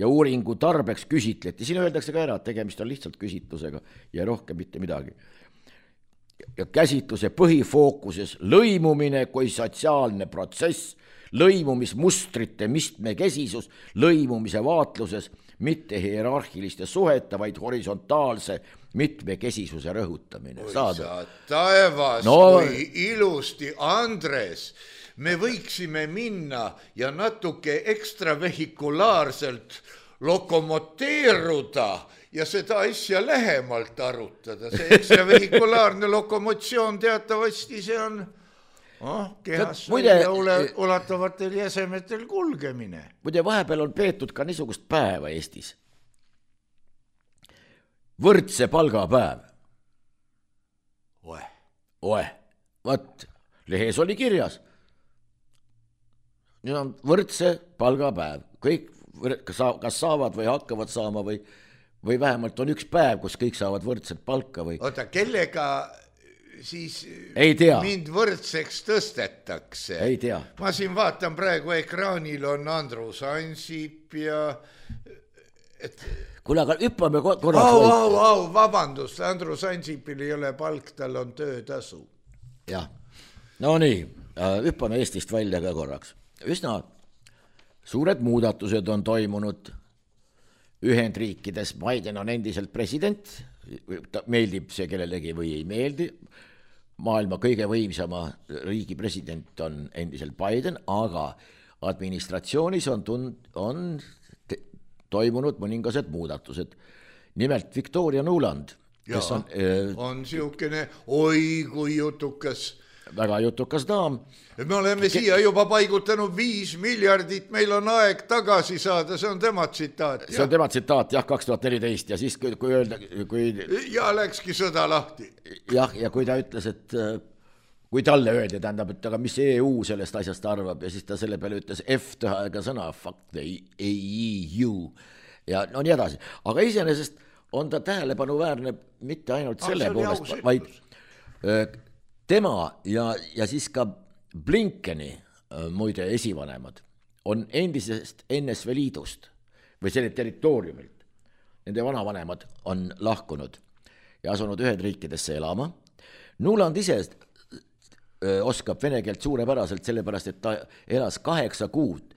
ja uuringu tarbeks küsitleti. Siin öeldakse ka ära, et tegemist on lihtsalt küsitlusega ja rohkem mitte midagi. Ja käsitluse põhifookuses lõimumine kui sotsiaalne protsess, lõimumismustrite mitmekesisus, lõimumise vaatluses mitte hierarhiliste suhete, vaid horisontaalse mitmekesisuse rõhutamine. Sa taevas, kui ilusti, Andres, me võiksime minna ja natuke ekstravehikulaarselt lokomoteeruda ja seda asja lähemalt arutada. See ekstravehikulaarne lokomotsioon teatavasti see on kehas ulatavatel jäsemetel kulgemine. Muide, vahepeal on peetud ka niisugust päeva Eestis. Võrdse palgapäev. Vaat, lehes oli kirjas. Nüüd on võrdse palgapäev. Kõik kas saavad või hakkavad saama või vähemalt on üks päev, kus kõik saavad võrdset palka või... Oota, kellega siis ei tea. Mind võrdseks tõstetakse? Ei tea. Ma siin vaatan praegu ekraanil on Andrus Ansip ja... Kuule, aga hüppame korraks... Vabandust, Andrus Ansipil ei ole palk, tal on töötasu. Jah, no nii, hüppame Eestist välja ka korraks. Üsna suured muudatused on toimunud Ühendriikides. Biden on endiselt president, meeldib see kellelegi või ei meeldi. Maailma kõige võimsama riigi president on endiselt Biden, aga administratsioonis on toimunud mõningased muudatused. Nimelt Victoria Nuland, kes on siukene oi kui jutukas. Väga jutukas daam. Me oleme siia juba paigutanud 5 miljardit, meil on aeg tagasi saada, see on tema tsitaat. See on tema tsitaat, 2014 ja siis kui öelda... Ja läkski sõda lahti. Jah, ja kui ta ütles, et kui talle öeldi, tähendab, et aga mis EU sellest asjast arvab ja siis ta selle peale ütles F-tähega sõna, fuck the EU ja no nii edasi. Aga iseenesest on ta tähelepanuväärne mitte ainult selle poolest, vaid tema ja siis ka Blinkeni muide esivanemad on endisest NSV Liidust või selle territooriumilt. Nende vanavanemad on lahkunud ja asunud Ühendriikidesse elama. Nuland ise oskab vene keelt suurepäraselt, sellepärast, et ta elas 8 kuud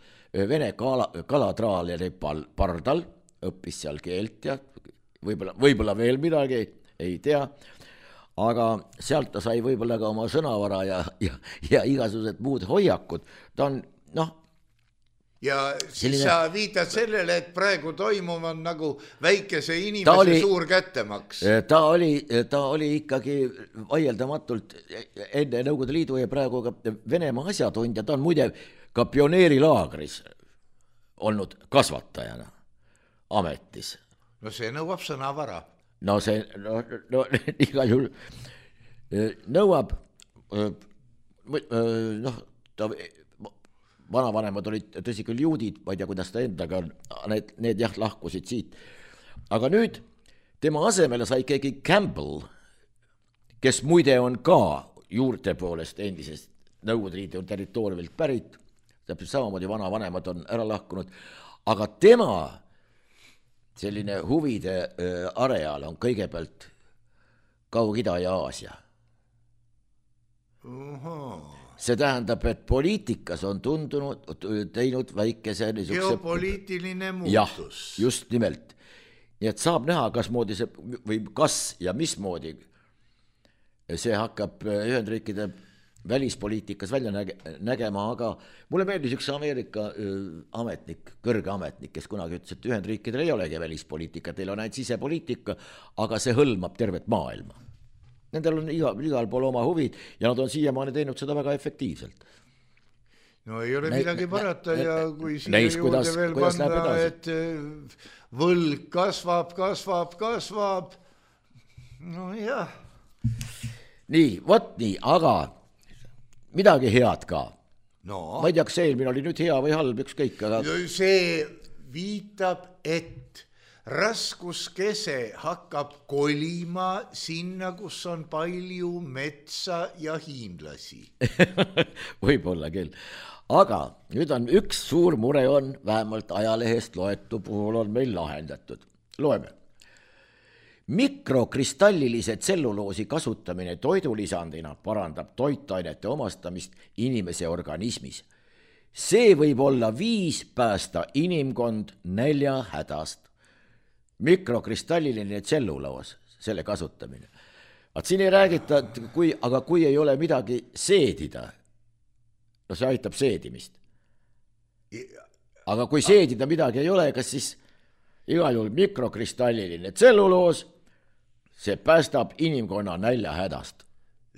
vene kalatraaleri pardal, õppis seal keelt ja võib-olla veel midagi, ei tea. Aga sealt ta sai võib-olla ka oma sõnavara ja igasugused muud hoiakud. Ta on, ja siis sa viitad sellele, et praegu toimub on nagu väikese inimese suur kättemaks. Ta oli ikkagi vaieldamatult enne Nõukogude Liidu ja praegu ka Venemaa asjatundja. Ta on muide ka pioneerilaagris olnud kasvatajana ametis. No see nõuab sõnavara. No see, igal juhul nõuab, vanavanemad olid tõsi küll juudid, ma ei tea, kuidas ta endaga, need lahkusid siit. Aga nüüd tema asemele sai keegi Campbell, kes muide on ka juurte poolest endisest Nõukogude Liidu territooriumilt pärit, täpselt samamoodi vanavanemad on ära lahkunud, aga tema selline huvide areal on kõigepealt Kaug-Ida ja Aasia. See tähendab, et poliitikas on teinud väikese geopoliitiline muutus. Jah, just nimelt. Nii et saab näha, kas ja mismoodi see hakkab Ühendriikide välispoliitikas välja nägema, aga mulle meeldis üks Ameerika ametnik, kõrge ametnik, kes kunagi ütles, et Ühendriikidel ei olegi välispoliitika, teil on ainult sisepoliitika, aga see hõlmab tervet maailma. Nendel on igal pool oma huvid ja nad on siiamaani teinud seda väga efektiivselt. No ei ole midagi parata ja kui siia juurde veel panna, et võlg kasvab, no jah. Nii, vot nii, aga midagi head ka. No. Ma ei tea, kas eelmine oli nüüd hea või halb, ükskõik, aga... See viitab, et raskuskese hakkab kolima sinna, kus on palju metsa ja hiinlasi. Võib-olla küll. Aga nüüd on üks suur mure on, vähemalt ajalehest loetu puhul on meil lahendatud. Loeme. Mikrokristallilise tselluloosi kasutamine toidulisandina parandab toitainete omastamist inimese organismis. See võib olla viis päästa inimkond näljahädast. Mikrokristalliline tselluloos, selle kasutamine. Vaat siin ei räägita, aga kui ei ole midagi seedida, no see aitab seedimist. Aga kui seedida midagi ei ole, kas siis igal juhul mikrokristalliline tselluloos, see päästab inimkonna näljahädast.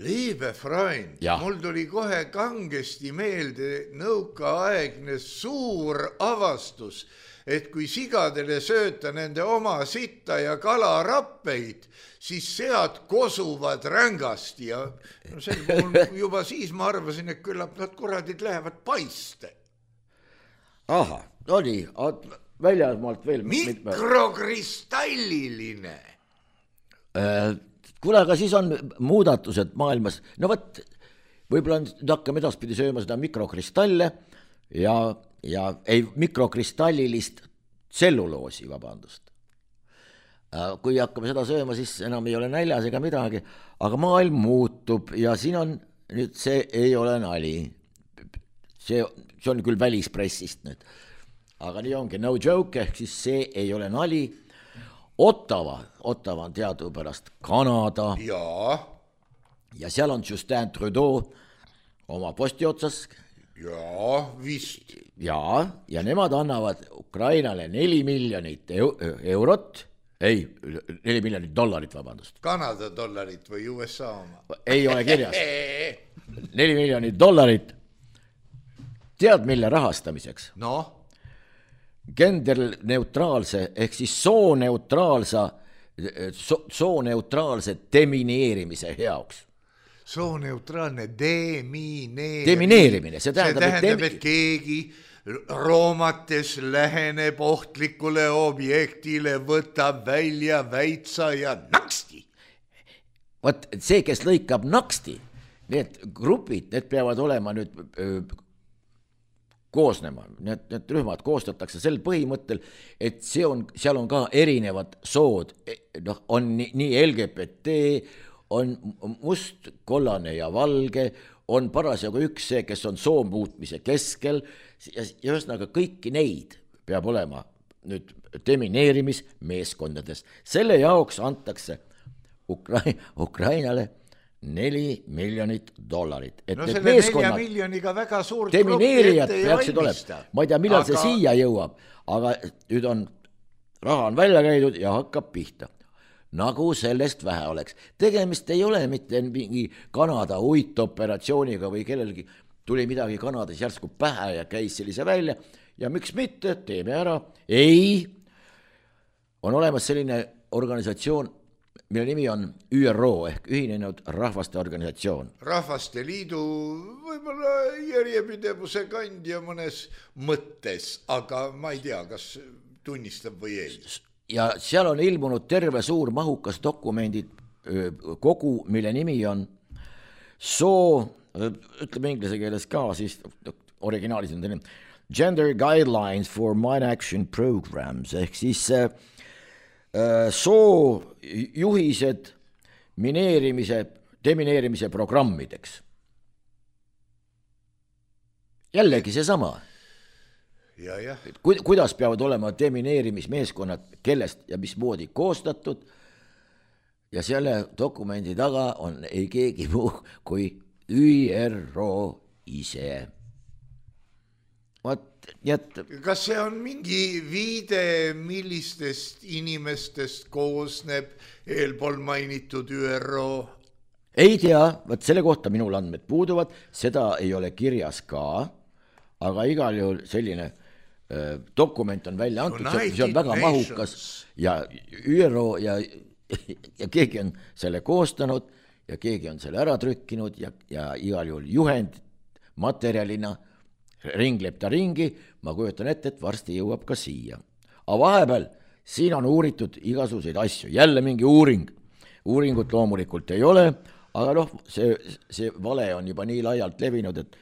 Liebe Freund, mul tuli kohe kangesti meelde nõukaaegne suur avastus, et kui sigadele sööta nende oma sitta ja kalarappeid, siis sead kosuvad rängasti ja no sel puhul juba siis ma arvasin, et küllap nad kuradid lähevad paiste. Aha, no nii, väljasmaalt veel... Mikrokristalliline. Kuule, aga siis on muudatused maailmas. No võt, võib-olla nüüd hakkame edaspidi sööma seda mikrokristalle ja mikrokristallilist tselluloosi, vabandust. Kui hakkame seda sööma, siis enam ei ole näljas ega midagi, aga maailm muutub ja siin on nüüd see ei ole nali. See on küll välispressist nüüd, aga nii ongi no joke, ehk siis see ei ole nali. Ottawa on teadupärast Kanada ja seal on Justin Trudeau oma posti otsas vist ja nemad annavad Ukrainale 4 miljonit eurot, ei, 4 miljonit dollarit, vabandust. Kanada dollarit või USA oma? Ei ole kirjas. 4 miljonit dollarit. Tead, mille rahastamiseks? No? Genderneutraalse ehk siis sooneutraalse demineerimise heaks. Sooneutraalne demineerimine. See tähendab, et keegi roomates läheneb ohtlikule objektile, võtab välja väitsa ja naksti. Vot see, kes lõikab naksti, need grupid, need peavad olema nüüd koosnema, need rühmad koostatakse sel põhimõttel, et seal on ka erinevad sood, on nii LGBT, on must, kollane ja valge, on parasjagu üks see, kes on soo muutmise keskel ja ühesõnaga kõiki neid peab olema nüüd demineerimismeeskondades. Selle jaoks antakse Ukrainale 4 miljonit dollarit. No selle 4 miljoniga väga suurt demineerijad peaksid olema. Ma ei tea, millal see siia jõuab, aga nüüd raha on välja käidud ja hakkab pihta. Nagu sellest vähe oleks. Tegemist ei ole mitte mingi Kanada uitoperatsiooniga või kellelgi tuli midagi Kanadas järsku pähe ja käis sellise välja ja miks mitte, teeme ära. Ei, on olemas selline organisatsioon, mille nimi on ÜRO ehk Ühinenud Rahvaste Organisatsioon. Rahvaste Liidu võib-olla järjepidevuse kandja mõnes mõttes, aga ma ei tea, kas tunnistab või ei. Ja seal on ilmunud terve suur mahukas dokumendid kogu, mille nimi on ütleme inglise keeles ka, siis originaalis on teine Gender Guidelines for Mine Action Programs ehk siis juhised demineerimise programmideks. Jällegi seesama. Kuidas peavad olema demineerimismeeskonnad, kellest ja mismoodi koostatud ja selle dokumendi taga on ei keegi muu kui ÜRO ise. Kas see on mingi viide, millistest inimestest koosneb eelpool mainitud ÜRO ei tea, võt selle kohta minul andmed puuduvad, seda ei ole kirjas ka, aga igal juhul selline dokument on välja antud, see on väga mahukas ja ÜRO ja keegi on selle koostanud ja keegi on selle ära trükkinud ja igal juhul juhend materjalina ringleb ta ringi, ma kujutan ette, et varsti jõuab ka siia. Aga vahepeal siin on uuritud igasuguseid asju, jälle mingi uuringut loomulikult ei ole, aga noh, see vale on juba nii laialt levinud, et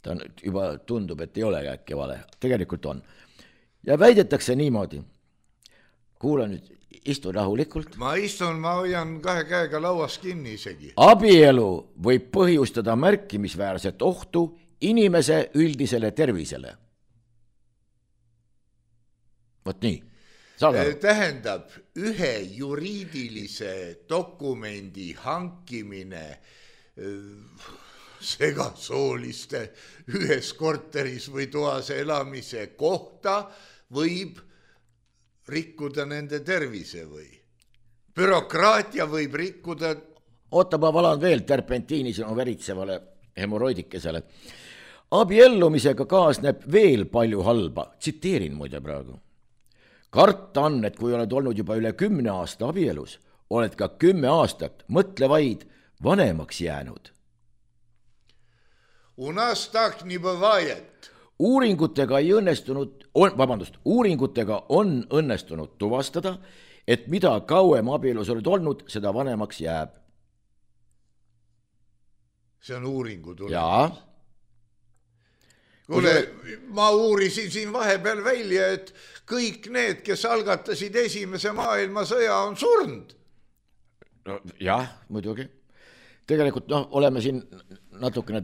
ta juba tundub, et ei ole äkki vale, tegelikult on. Ja väidetakse niimoodi, kuula nüüd, istu rahulikult. Ma hoian 2 käega lauas kinni isegi. Abielu võib põhjustada märkimisväärset ohtu inimese üldisele tervisele. Vot nii. Tähendab, ühe juriidilise dokumendi hankimine segasooliste ühes korteris või toas elamise kohta võib rikkuda nende tervise või? Bürokraatia võib rikkuda... Oota, ma valan veel terpentiini sinu veritsevale hemoroidikesele. Abiellumisega kaasneb veel palju halba. Tsiteerin muide praegu. Karta on, et kui oled olnud juba üle 10 aasta abielus, oled ka 10 aastat, mõtle vaid, vanemaks jäänud. У нас так не бывает. Uuringutega on õnnestunud tuvastada, et mida kauem abielus oled olnud, seda vanemaks jääb. See on uuringu tulemus. Jaa. Kuule, ma uurisin siin vahepeal välja, et kõik need, kes algatasid esimese maailmasõja, on surnud. No, jah, muidugi. Tegelikult oleme siin natukene...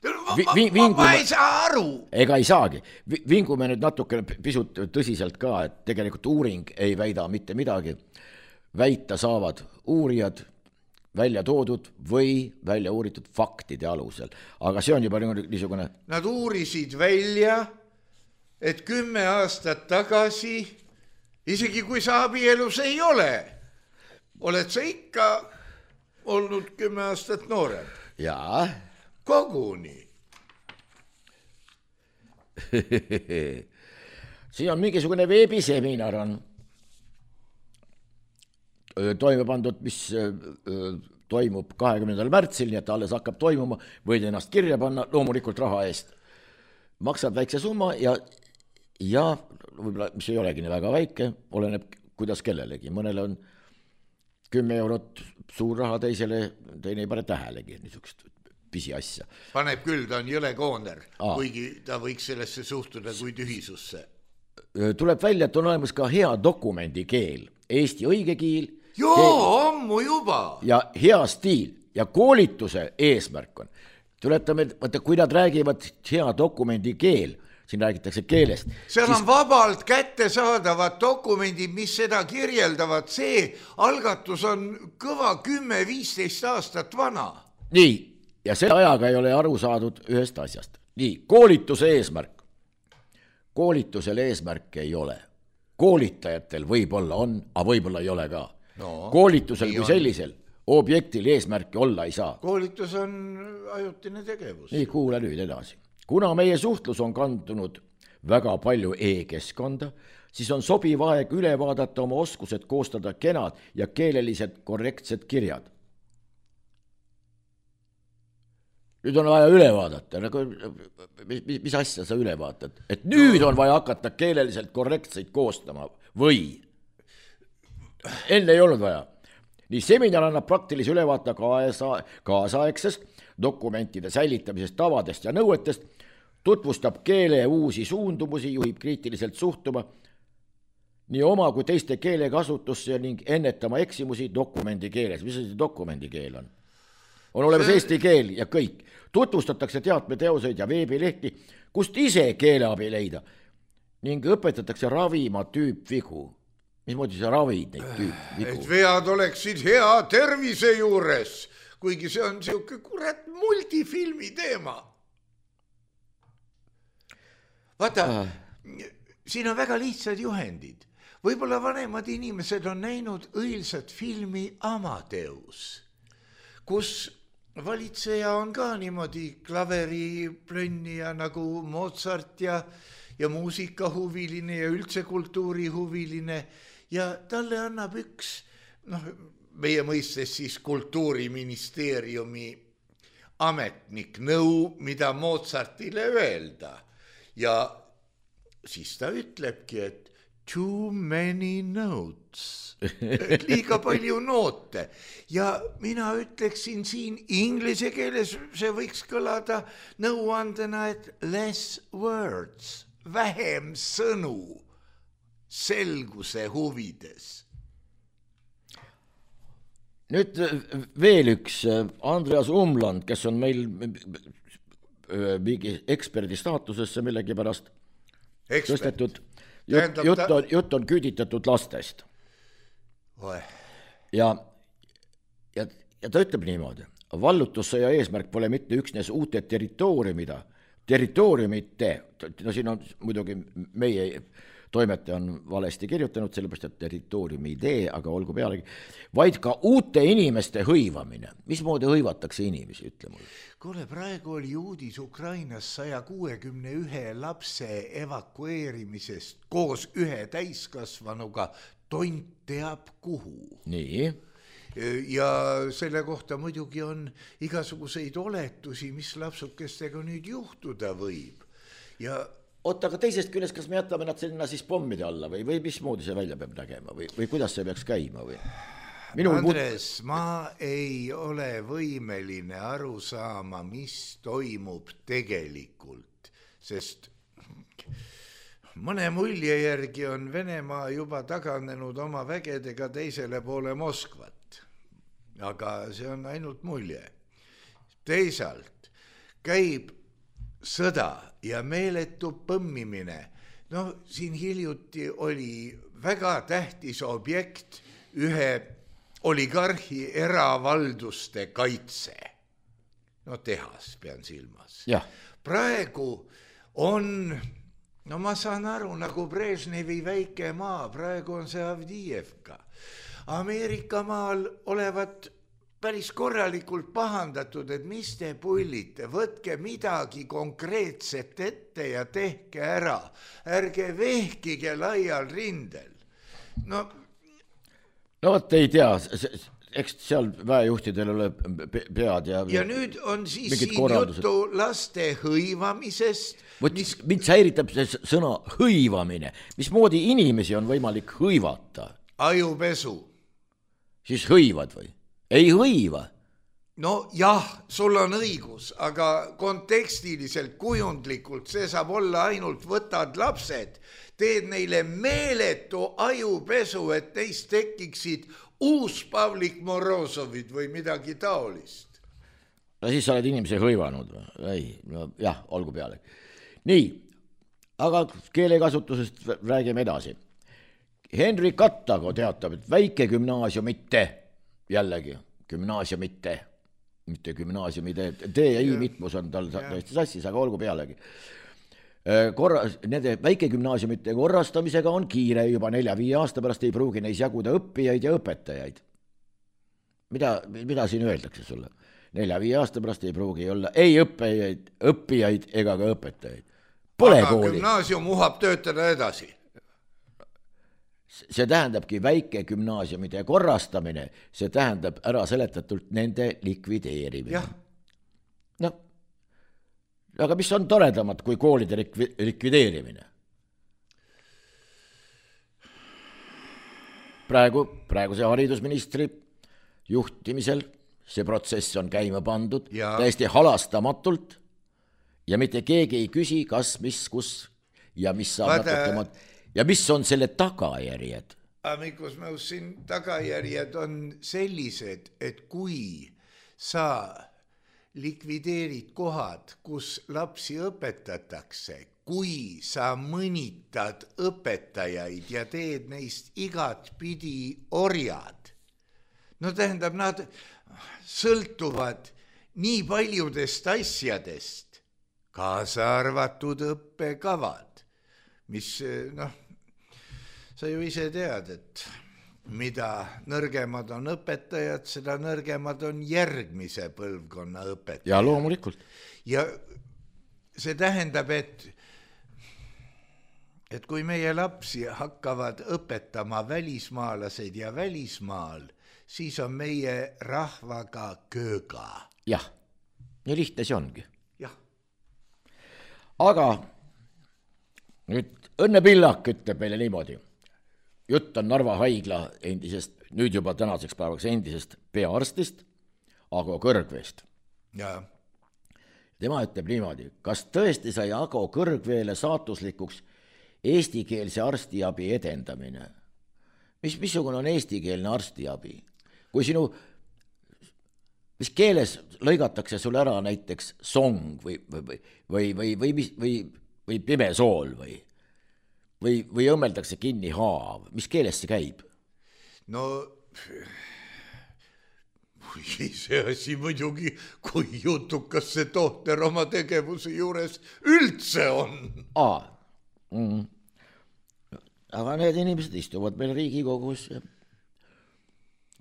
Ma ei saa aru. Ega ei saagi. Vingume nüüd natuke pisut tõsiselt ka, et tegelikult uuring ei väida mitte midagi. Väita saavad uurijad välja toodud või välja uuritud faktide alusel. Aga see on juba niisugune... Nad uurisid välja, et 10 aastat tagasi, isegi kui sa abielus ei ole, oled sa ikka olnud 10 aastat noorem. Jaa. Koguni. Siin on mingisugune veebiseminar on toime pandud, mis toimub 20. märtsil, nii et alles hakkab toimuma, võid ennast kirja panna loomulikult raha eest. Maksad väikse summa ja võib-olla, mis ei olegi nii väga väike, oleneb kuidas kellelegi. Mõnele on 10 eurot suur raha, teisele teine ei pane tähelegi niisugust pisiasja. Paneb küll, ta on jõle kooner, kuigi ta võiks sellesse suhtuda kui tühisusse. Tuleb välja, et on olemas ka hea dokumendi keel, Eesti õige keel. Ammu juba. Ja hea stiil ja koolituse eesmärk on. Tuletame, kui nad räägivad hea dokumendi keel, siin räägitakse keelest. Seal on vabalt kättesaadavad dokumendid, mis seda kirjeldavad. See algatus on kõva 10-15 aastat vana. Nii, ja selle ajaga ei ole aru saadud ühest asjast. Nii, koolituse eesmärk. Koolitusel eesmärk ei ole. Koolitajatel võib-olla on, aga võib-olla ei ole ka. Koolitusel kui sellisel objektil eesmärki olla ei saa. Koolitus on ajutine tegevus. Nii, kuule nüüd edasi. Kuna meie suhtlus on kandunud väga palju e-keskkonda, siis on sobiv aeg üle vaadata oma oskused koostada kenad ja keelelised korrektsed kirjad. Nüüd on vaja üle vaadata. Mis asja sa üle vaatad? Et nüüd on vaja hakata keeleliselt korrektseid koostama või? Enne ei olnud vaja. Nii seminar annab praktilise ülevaate kaasaegsest dokumentide säilitamisest, tavadest ja nõuetest, tutvustab keele uusi suundumusi, juhib kriitiliselt suhtuma nii oma kui teiste keelekasutusse ning ennetama eksimusi dokumendi keeles. Mis see dokumendi keel on? On olemas eesti keel ja kõik. Tutvustatakse teatmeteoseid ja veebilehti, kust ise keeleabi leida ning õpetatakse ravima tüüpvigu. Mismoodi sa ravid neid tüüpvigu? Et vead oleksid hea tervise juures, kuigi see on siuke kurat multifilmi teema. Vaata, siin on väga lihtsad juhendid. Võib-olla vanemad inimesed on näinud õilsat filmi Amadeus. kus valitseja on ka niimoodi klaveriplönnija nagu Mozart ja muusikahuviline ja üldse kultuurihuviline ja talle annab üks, meie mõistes siis kultuuriministeeriumi ametnik nõu, mida Mozartile öelda ja siis ta ütlebki, et too many notes, liiga palju noote ja mina ütleksin siin inglise keeles, see võiks kõlada nõuandena, et less words, vähem sõnu selguse huvides. Nüüd veel üks Andreas Umland, kes on meil mingi eksperdi staatusesse millegipärast tõstetud. Jutt on küüditatud lastest. Ja ta ütleb niimoodi, vallutussõja eesmärk pole mitte üksnes uute territooriumite, no siin on muidugi meie toimetaja on valesti kirjutanud, sellepärast, et territooriumi idee, aga olgu pealegi, vaid ka uute inimeste hõivamine. Mismoodi hõivatakse inimesi, ütle mulle? Kuule, praegu oli uudis Ukrainas 161 lapse evakueerimisest koos ühe täiskasvanuga tont teab kuhu. Nii. Ja selle kohta muidugi on igasuguseid oletusi, mis lapsukestega nüüd juhtuda võib. Ja oota, aga teisest küljest, kas me jätame nad sinna siis pommide alla või mismoodi see välja peab nägema või kuidas see peaks käima või? Andres, ma ei ole võimeline aru saama, mis toimub tegelikult, sest mõne mulje järgi on Venemaa juba taganenud oma vägedega teisele poole Moskvat, aga see on ainult mulje. Teisalt käib sõda ja meeletu põmmimine. Siin hiljuti oli väga tähtis objekt ühe oligarhi eravalduste kaitse. Tehas pean silmas. Ja. Praegu on, ma saan aru, nagu Brežnevi väike maa, praegu on see Avdiivka. Ameerika maal olevat päris korralikult pahandatud, et mis te pullite, võtke midagi konkreetset ette ja tehke ära. Ärge vehkige laial rindel. No vot ei tea, eks seal väejuhtidel ole pead ja nüüd on siis siin juttu laste hõivamisest. Mind häiritab see sõna hõivamine. Mismoodi inimesi on võimalik hõivata? Ajupesu. Siis hõivad või? Ei hõiva. Jah, sul on õigus, aga kontekstiliselt, kujundlikult see saab olla ainult võtad lapsed, teed neile meeletu ajupesu, et neist tekiksid uus Pavlik Morozovid või midagi taolist. No siis sa oled inimese hõivanud. Jah, olgu peale. Nii, aga keelekasutusest räägime edasi. Henri Kattago teatab, et väike gümnaasiumite, jällegi gümnaasiumite, mitte gümnaasiumide, D ja I mitmus on tal täiesti sassis, aga olgu pealegi. Nende väikegümnaasiumite korrastamisega on kiire, juba 4-5 aasta pärast ei pruugi neis jaguda õppijaid ja õpetajaid. Mida siin öeldakse sulle? 4-5 aasta pärast ei pruugi olla ei õppijaid ega ka õpetajaid. Pole aga kooli. Gümnaasium uhab töötada edasi. See tähendabki väikegümnaasiumide korrastamine, see tähendab ära seletatult nende likvideerimine. Jah. Aga mis on toredamat kui koolide likvideerimine? Praeguse haridusministri juhtimisel see protsess on käima pandud täiesti halastamatult ja mitte keegi ei küsi, kas, mis, kus ja mis saab natuke ja mis on selle tagajärjed? Amikus Mäus, siin tagajärjed on sellised, et kui sa likvideerid kohad, kus lapsi õpetatakse, kui sa mõnitad õpetajaid ja teed neist igat pidi orjad, tähendab, nad sõltuvad nii paljudest asjadest, kaasa arvatud õppekavad, mis, sa ju ise tead, et mida nõrgemad on õpetajad, seda nõrgemad on järgmise põlvkonna õpetajad. Ja loomulikult. Ja see tähendab, et kui meie lapsi hakkavad õpetama välismaalased ja välismaal, siis on meie rahvaga kööga. Jah, nii lihtne see ongi. Jah. Aga nüüd Õnne Pillak ütleb meile niimoodi. Jutt on Narva haigla endisest, nüüd juba tänaseks päevaks endisest peaarstist, Ago Kõrgveest. Ja. Tema ütleb niimoodi, kas tõesti sai Ago Kõrgveele saatuslikuks eestikeelse arstiabi edendamine? Missugune on eestikeelne arstiabi? Kui mis keeles lõigatakse sul ära näiteks song või pimesool või õmmeldakse kinni haav, mis keeles see käib? No, see asi muidugi, kui jutukas see tohter oma tegevuse juures üldse on. Aga need inimesed istuvad meil Riigikogus ja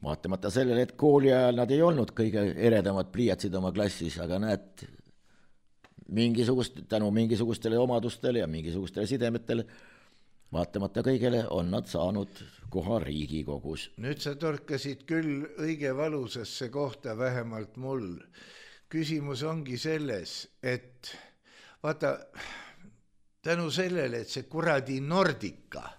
vaatamata sellele, et kooli ajal nad ei olnud kõige eredamad pliiatsid oma klassis, aga näed, tänu mingisugustele omadustele ja mingisugustele sidemetele vaatamata kõigele on nad saanud koha Riigikogus. Nüüd sa torkasid küll õige valusasse kohta, vähemalt mul. Küsimus ongi selles, et vaata, tänu sellele, et see kuradi Nordica,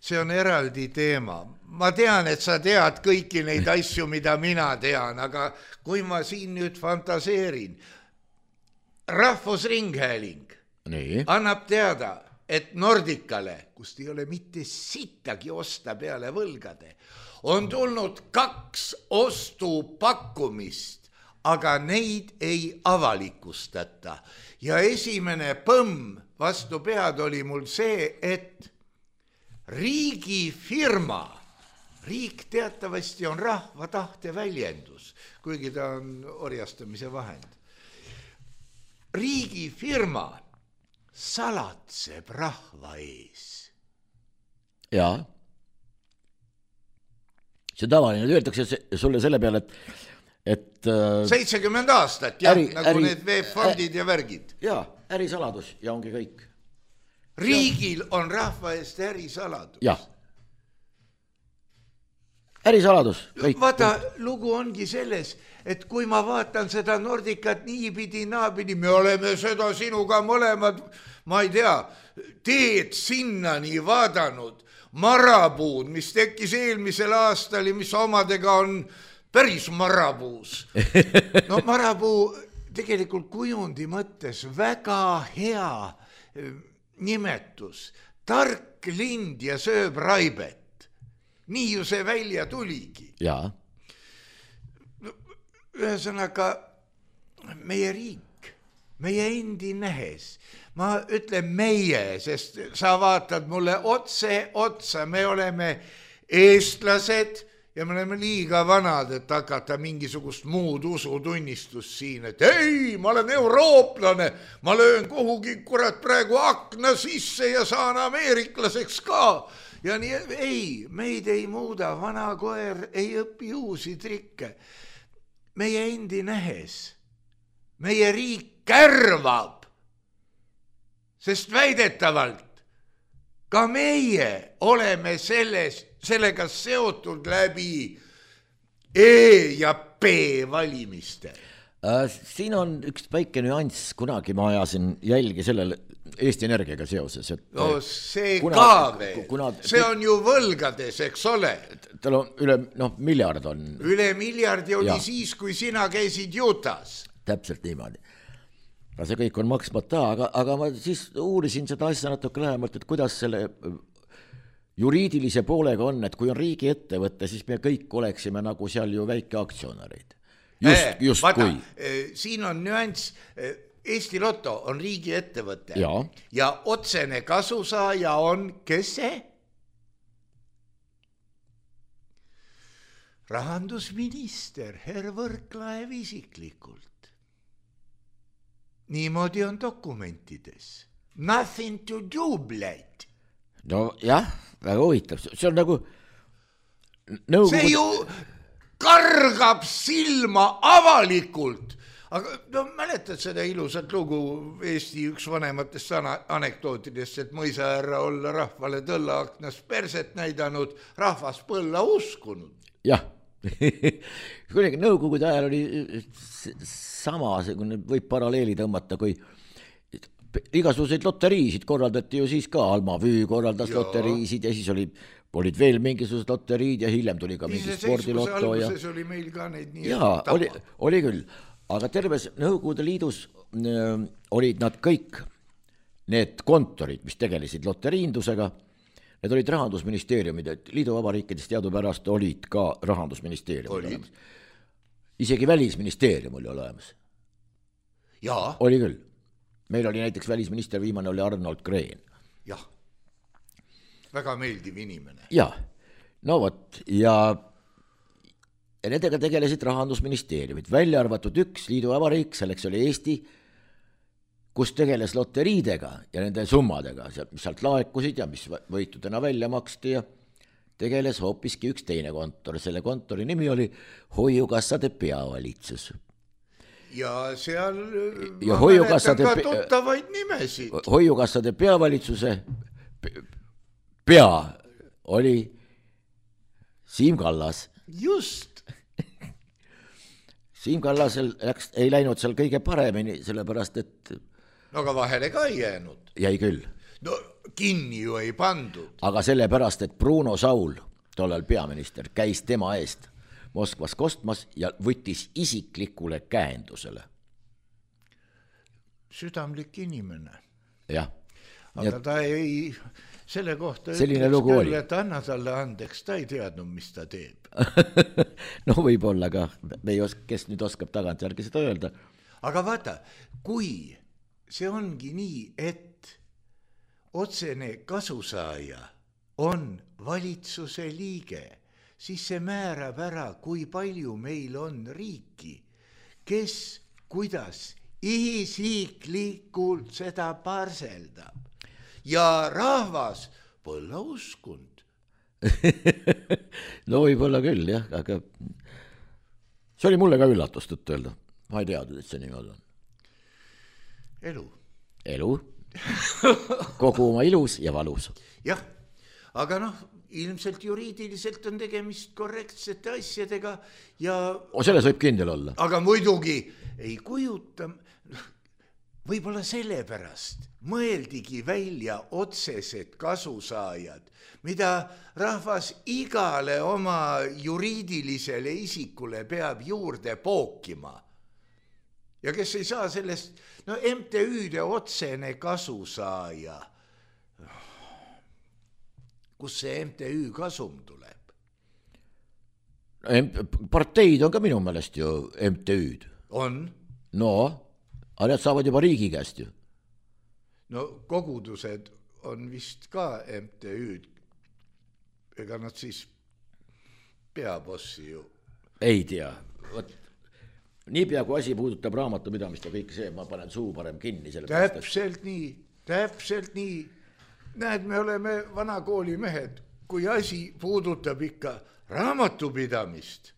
see on eraldi teema. Ma tean, et sa tead kõiki neid asju, mida mina tean, aga kui ma siin nüüd fantaseerin, Rahvusringhääling annab teada, et Nordicale, kust ei ole mitte sittagi osta peale võlgade, on tulnud 2 ostupakkumist, aga neid ei avalikustata. Ja esimene põmm vastu pead oli mul see, et riigifirma, riik teatavasti on rahva tahte väljendus, kuigi ta on orjastamise vahend. Riigifirma salatseb rahva ees. Jaa. See tavaline, öeldakse sulle selle peale, et 70 aastat, jah, nagu need VEB-fondid ja värgid. Jaa, ärisaladus ja ongi kõik. Riigil on rahva eest ärisaladus. Jah. Ärisaladus. Vaata, lugu ongi selles, et kui ma vaatan seda Nordicat niipidi, naapidi, me oleme seda sinuga mõlemad, ma ei tea, teed sinnani vaadanud, marapuud, mis tekkis eelmisel aastal ja mis omadega on päris marapuus. No marapuu tegelikult kujundi mõttes väga hea nimetus. Tark lind ja sööb raibet. Nii ju see välja tuligi. Jaa. Ühesõnaga, meie riik, meie endi nähes, ma ütlen meie, sest sa vaatad mulle otsa, me oleme eestlased ja me oleme liiga vanad, et hakata mingisugust muud usutunnistust siin, et ei, ma olen eurooplane, ma löön kuhugi kurat praegu akna sisse ja saan ameeriklaseks ka. Ja nii, ei, meid ei muuda, vana koer ei õpi uusi trikke. Meie endi nähes, meie riik kärvab, sest väidetavalt ka meie oleme sellega seotud läbi E ja P valimiste. Siin on üks väike nüanss, kunagi ma ajasin jälgi sellele Eesti Energiaga seoses. Et no see ka veel, see on ju võlgades, eks ole. Tal on üle miljard on. Üle miljardi oli siis, kui sina käisid Jutas. Täpselt niimoodi. See kõik on maksmata, aga ma siis uurisin seda asja natuke lähemalt, et kuidas selle juriidilise poolega on, et kui on riigi ettevõtte, siis me kõik oleksime nagu seal ju väike aktsionärid. Just vaata, kui. Siin on nüanss, Eesti Lotto on riigi ettevõte ja otsene kasusaaja on, kes see? Rahandusminister Herr Võrklaev isiklikult. Niimoodi on dokumentides. Nothing to do, bled. no jah, väga huvitav, see on nagu nõukogu... See ju kargab silma avalikult. Aga no mäletad seda ilusat lugu Eesti üks vanematest anekdootidest, et mõisahärra olla rahvale tõllaaknas perset näidanud, rahvas põlla uskunud. Jah, kuidagi nõukogude ajal oli sama, võib paralleeli tõmmata, kui igasuguseid loteriisid korraldati ju siis ka, Alma Vüü korraldas loteriisid ja siis olid veel mingisugused loteriid ja hiljem tuli ka mingi spordilotto. Alguses oli meil ka neid nii. Jaa, oli küll. Aga terves Nõukogude Liidus olid nad kõik, need kontorid, mis tegelesid loteriindusega, need olid Rahandusministeeriumid, et liiduvabariikidest teadupärast olid ka Rahandusministeeriumid olemas. Isegi Välisministeerium oli olemas. Jaa. Oli küll. Meil oli näiteks välisminister, viimane oli Arnold Green. Jah, väga meeldiv inimene. Jah, no vot, ja nendega tegelesid Rahandusministeeriumid, välja arvatud üks liiduvabariik, selleks oli Eesti, kus tegeles loteriidega ja nende summadega, mis sealt laekusid ja mis võitudena välja maksti ja tegeles hoopiski üks teine kontor. Selle kontori nimi oli Hoiukassade peavalitsus. Ja seal ja mäletan ka tuttavaid nimesid. Hoiukassade peavalitsuse pea oli Siim Kallas. Just. Siim Kallasel ei läinud seal kõige paremini, sellepärast et... No aga vahele ka ei jäänud. Jäi küll. No kinni ju ei pandud. Aga sellepärast, et Bruno Saul, tollel peaminister, käis tema eest Moskvas kostmas ja võttis isiklikule käendusele. Südamlik inimene. Jah. Aga ta ei... Selle kohta selline ütles küll, et anna talle andeks, ta ei teadnud, mis ta teeb. No võib-olla ka, kes nüüd oskab tagantjärgi seda öelda. Aga vaata, kui see ongi nii, et otsene kasusaaja on valitsuse liige, siis see määrab ära, kui palju meil on riiki, kes, kuidas isiklikult seda parseldab. Ja rahvas põlla uskund. No võib-olla küll, jah, aga see oli mulle ka üllatus tõtt öelda. Ma ei teadnud, et see niimoodi on. Elu. Kogu oma ilus ja valus. Jah, aga noh, ilmselt juriidiliselt on tegemist korrektsete asjadega ja... Selles võib kindel olla. Aga muidugi ei kujuta... Võib-olla sellepärast mõeldigi välja otsesed kasusaajad, mida rahvas igale oma juriidilisele isikule peab juurde pookima. Ja kes ei saa sellest, no MTÜ-de otsene kasusaaja. Kus see MTÜ kasum tuleb? Parteid on ka minu meelest ju MTÜ-d. On? No... Aga need saavad juba riigi käest ju. No kogudused on vist ka MTÜ-d. Ega nad siis peabossi ju. Ei tea. Niipea kui asi puudutab raamatupidamist ja kõik see, ma panen suu parem kinni. Täpselt nii. Näed, me oleme vanakooli mehed. Kui asi puudutab ikka raamatupidamist,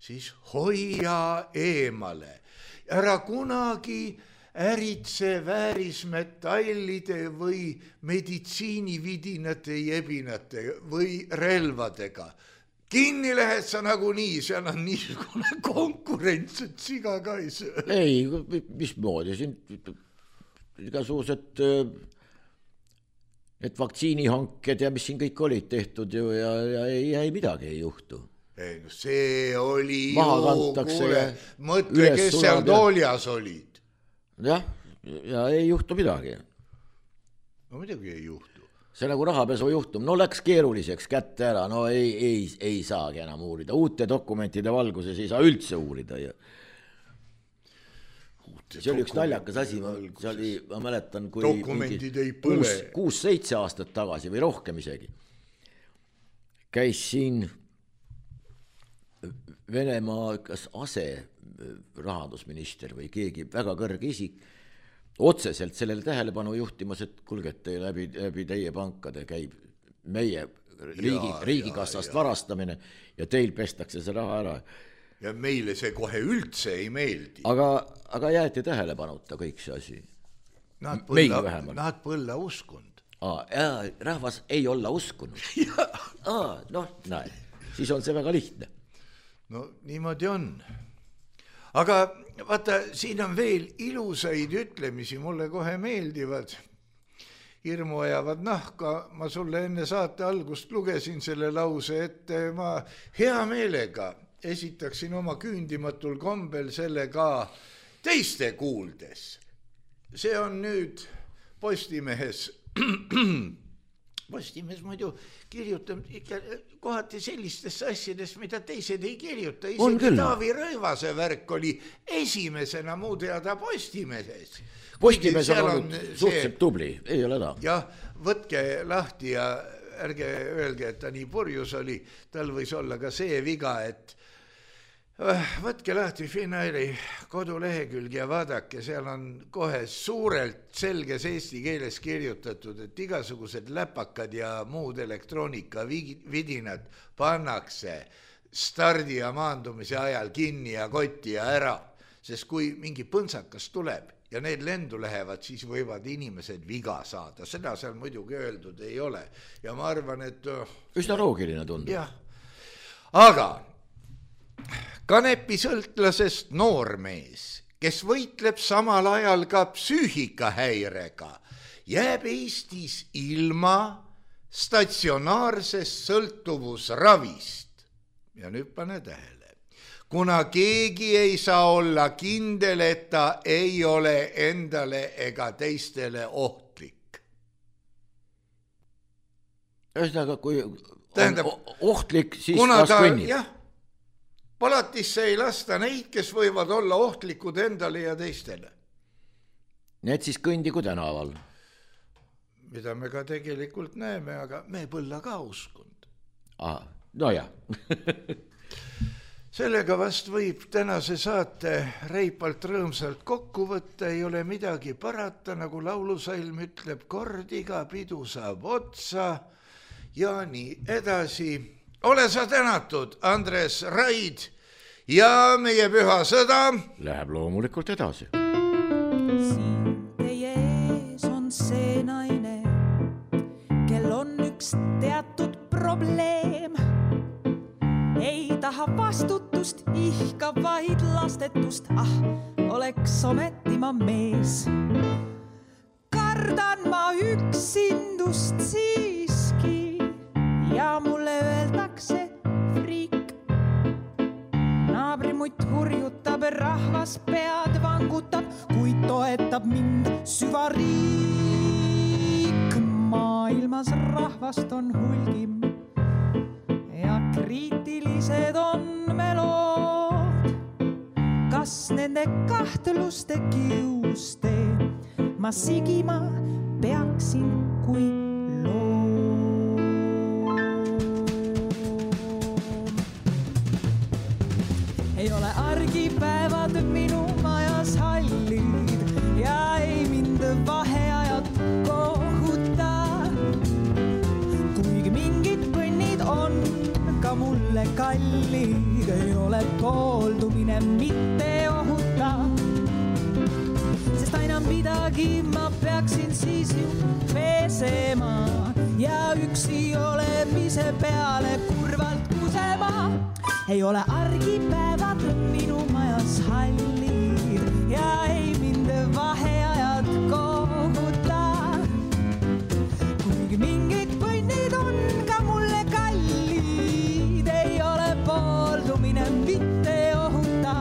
siis hoia eemale. Ära kunagi äritse väärismetallide või meditsiinividinate jebinate või relvadega. Kinni lähed sa nagunii, seal on niisugune konkurents, et siga ka ei söö. Ei, mismoodi, siin igasugused need vaktsiinihanked ja mis siin kõik olid tehtud ju ja ei midagi ei juhtu. Ei, no see oli kuule, mõtle, kes seal tooljas olid. Jah, ja ei juhtu midagi. No midagi ei juhtu. See nagu rahapesu juhtum, no läks keeruliseks kätte ära, no ei saagi enam uurida. Uute dokumentide valguses ei saa üldse uurida. Ja... See oli üks naljakas asi, ma mäletan, kui dokumendid ei põle. 6-7 aastat tagasi või rohkem isegi. Käis siin Venemaa kas ase rahandusminister või keegi väga kõrge isik otseselt sellele tähelepanu juhtimas, et kulgete läbi teie pankade käib meie riigikassast varastamine ja teil pestakse see raha ära. Ja meile see kohe üldse ei meeldi. Aga jäeti tähelepanuta kõik see asi. Nad põlla uskund. Rahvas ei olla uskunud. Näe, siis on see väga lihtne. No niimoodi on. Aga vaata, siin on veel ilusaid ütlemisi, mulle kohe meeldivad. Hirmu ajavad nahka, ma sulle enne saate algust lugesin selle lause, et ma hea meelega esitaksin oma küündimatul kombel selle ka teiste kuuldes. See on nüüd Postimehes. Postimees muidu kirjutab ikka kohati sellistesse asjadest, mida teised ei kirjuta. Isegi Taavi Rõivase värk oli esimesena muu teada Postimeses. Postimees on olnud suhteliselt tubli, ei ole ta. Jah, võtke lahti ja ärge öelge, et ta nii purjus oli. Tal võis olla ka see viga, et võtke lahti Finnairi kodulehekülg ja vaadake, seal on kohe suurelt selges eesti keeles kirjutatud, et igasugused läpakad ja muud elektroonika vidinad pannakse stardi ja maandumise ajal kinni ja kotti ja ära, sest kui mingi põntsakas tuleb ja need lendu lähevad, siis võivad inimesed viga saada. Seda seal muidugi öeldud ei ole ja ma arvan, et üsna loogiline tundub. Jah, aga kanepisõltlasest noormees, kes võitleb samal ajal ka psüühikahäirega, jääb Eestis ilma statsionaarsest sõltuvusravist. Ja nüüd pane tähele. Kuna keegi ei saa olla kindel, et ta ei ole endale ega teistele ohtlik. Ühesõnaga, kui on ohtlik, siis las kõnnib. Jah, palatisse ei lasta neid, kes võivad olla ohtlikud endale ja teistele. Need siis kõndigu tänaval. Mida me ka tegelikult näeme, aga me põlla ka uskund. No jah. Sellega vast võib tänase saate reipalt rõõmsalt kokku võtta, ei ole midagi parata, nagu laulusalm ütleb, kord iga pidu saab otsa ja nii edasi. Ole sa tänatud, Andres Raid, ja meie püha sõda läheb loomulikult edasi. Siin teie ees on see naine, kel on üks teatud probleem. Ei taha vastutust, ihkab vaid lastetust, oleks ometi ma mees. Kardan ma üksindust siiski ja mulle öeldakse friik. Naabrimutt hurjutab, rahvas pead vangutab, kuid toetab mind süvariik. Maailmas rahvast on hulgim ja kriitilised on melood. Kas nende kahtluste kiuste ma sigima peaksin kui loom? Ei ole argipäevad minu majas hallid ja ei mind vaheajad kohuta. Kuigi mingid põnnid on ka mulle kallid, ei ole pooldumine mitte ohuta. Sest aina midagi ma peaksin siis ju pesema ja üksi olemise peale kurvalt kusema. Ei ole argipäevad minu majas hallid ja ei mind vaheajad kohuta. Kuigi mingid põnnid on ka mulle kallid, ei ole pooldumine mitte ohuta.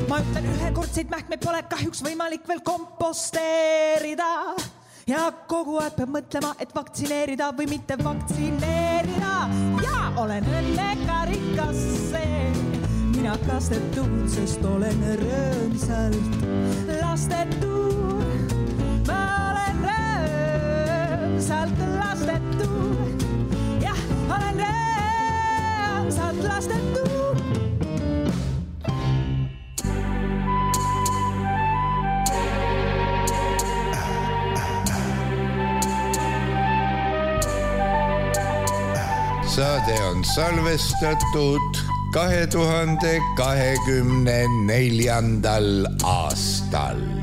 Ma ütlen, ühekordseid mähkmeid pole kahjuks võimalik veel komposteerida ja kogu aeg peab mõtlema, et vaktsineerida või mitte vaktsineerida. Ja olen õnnekarikas see, mina kastetud, sest olen rõõmsalt lastetud. Ma olen rõõmsalt lastetud. Jah, olen rõõmsalt lastetud. saade on salvestatud 2024. aastal.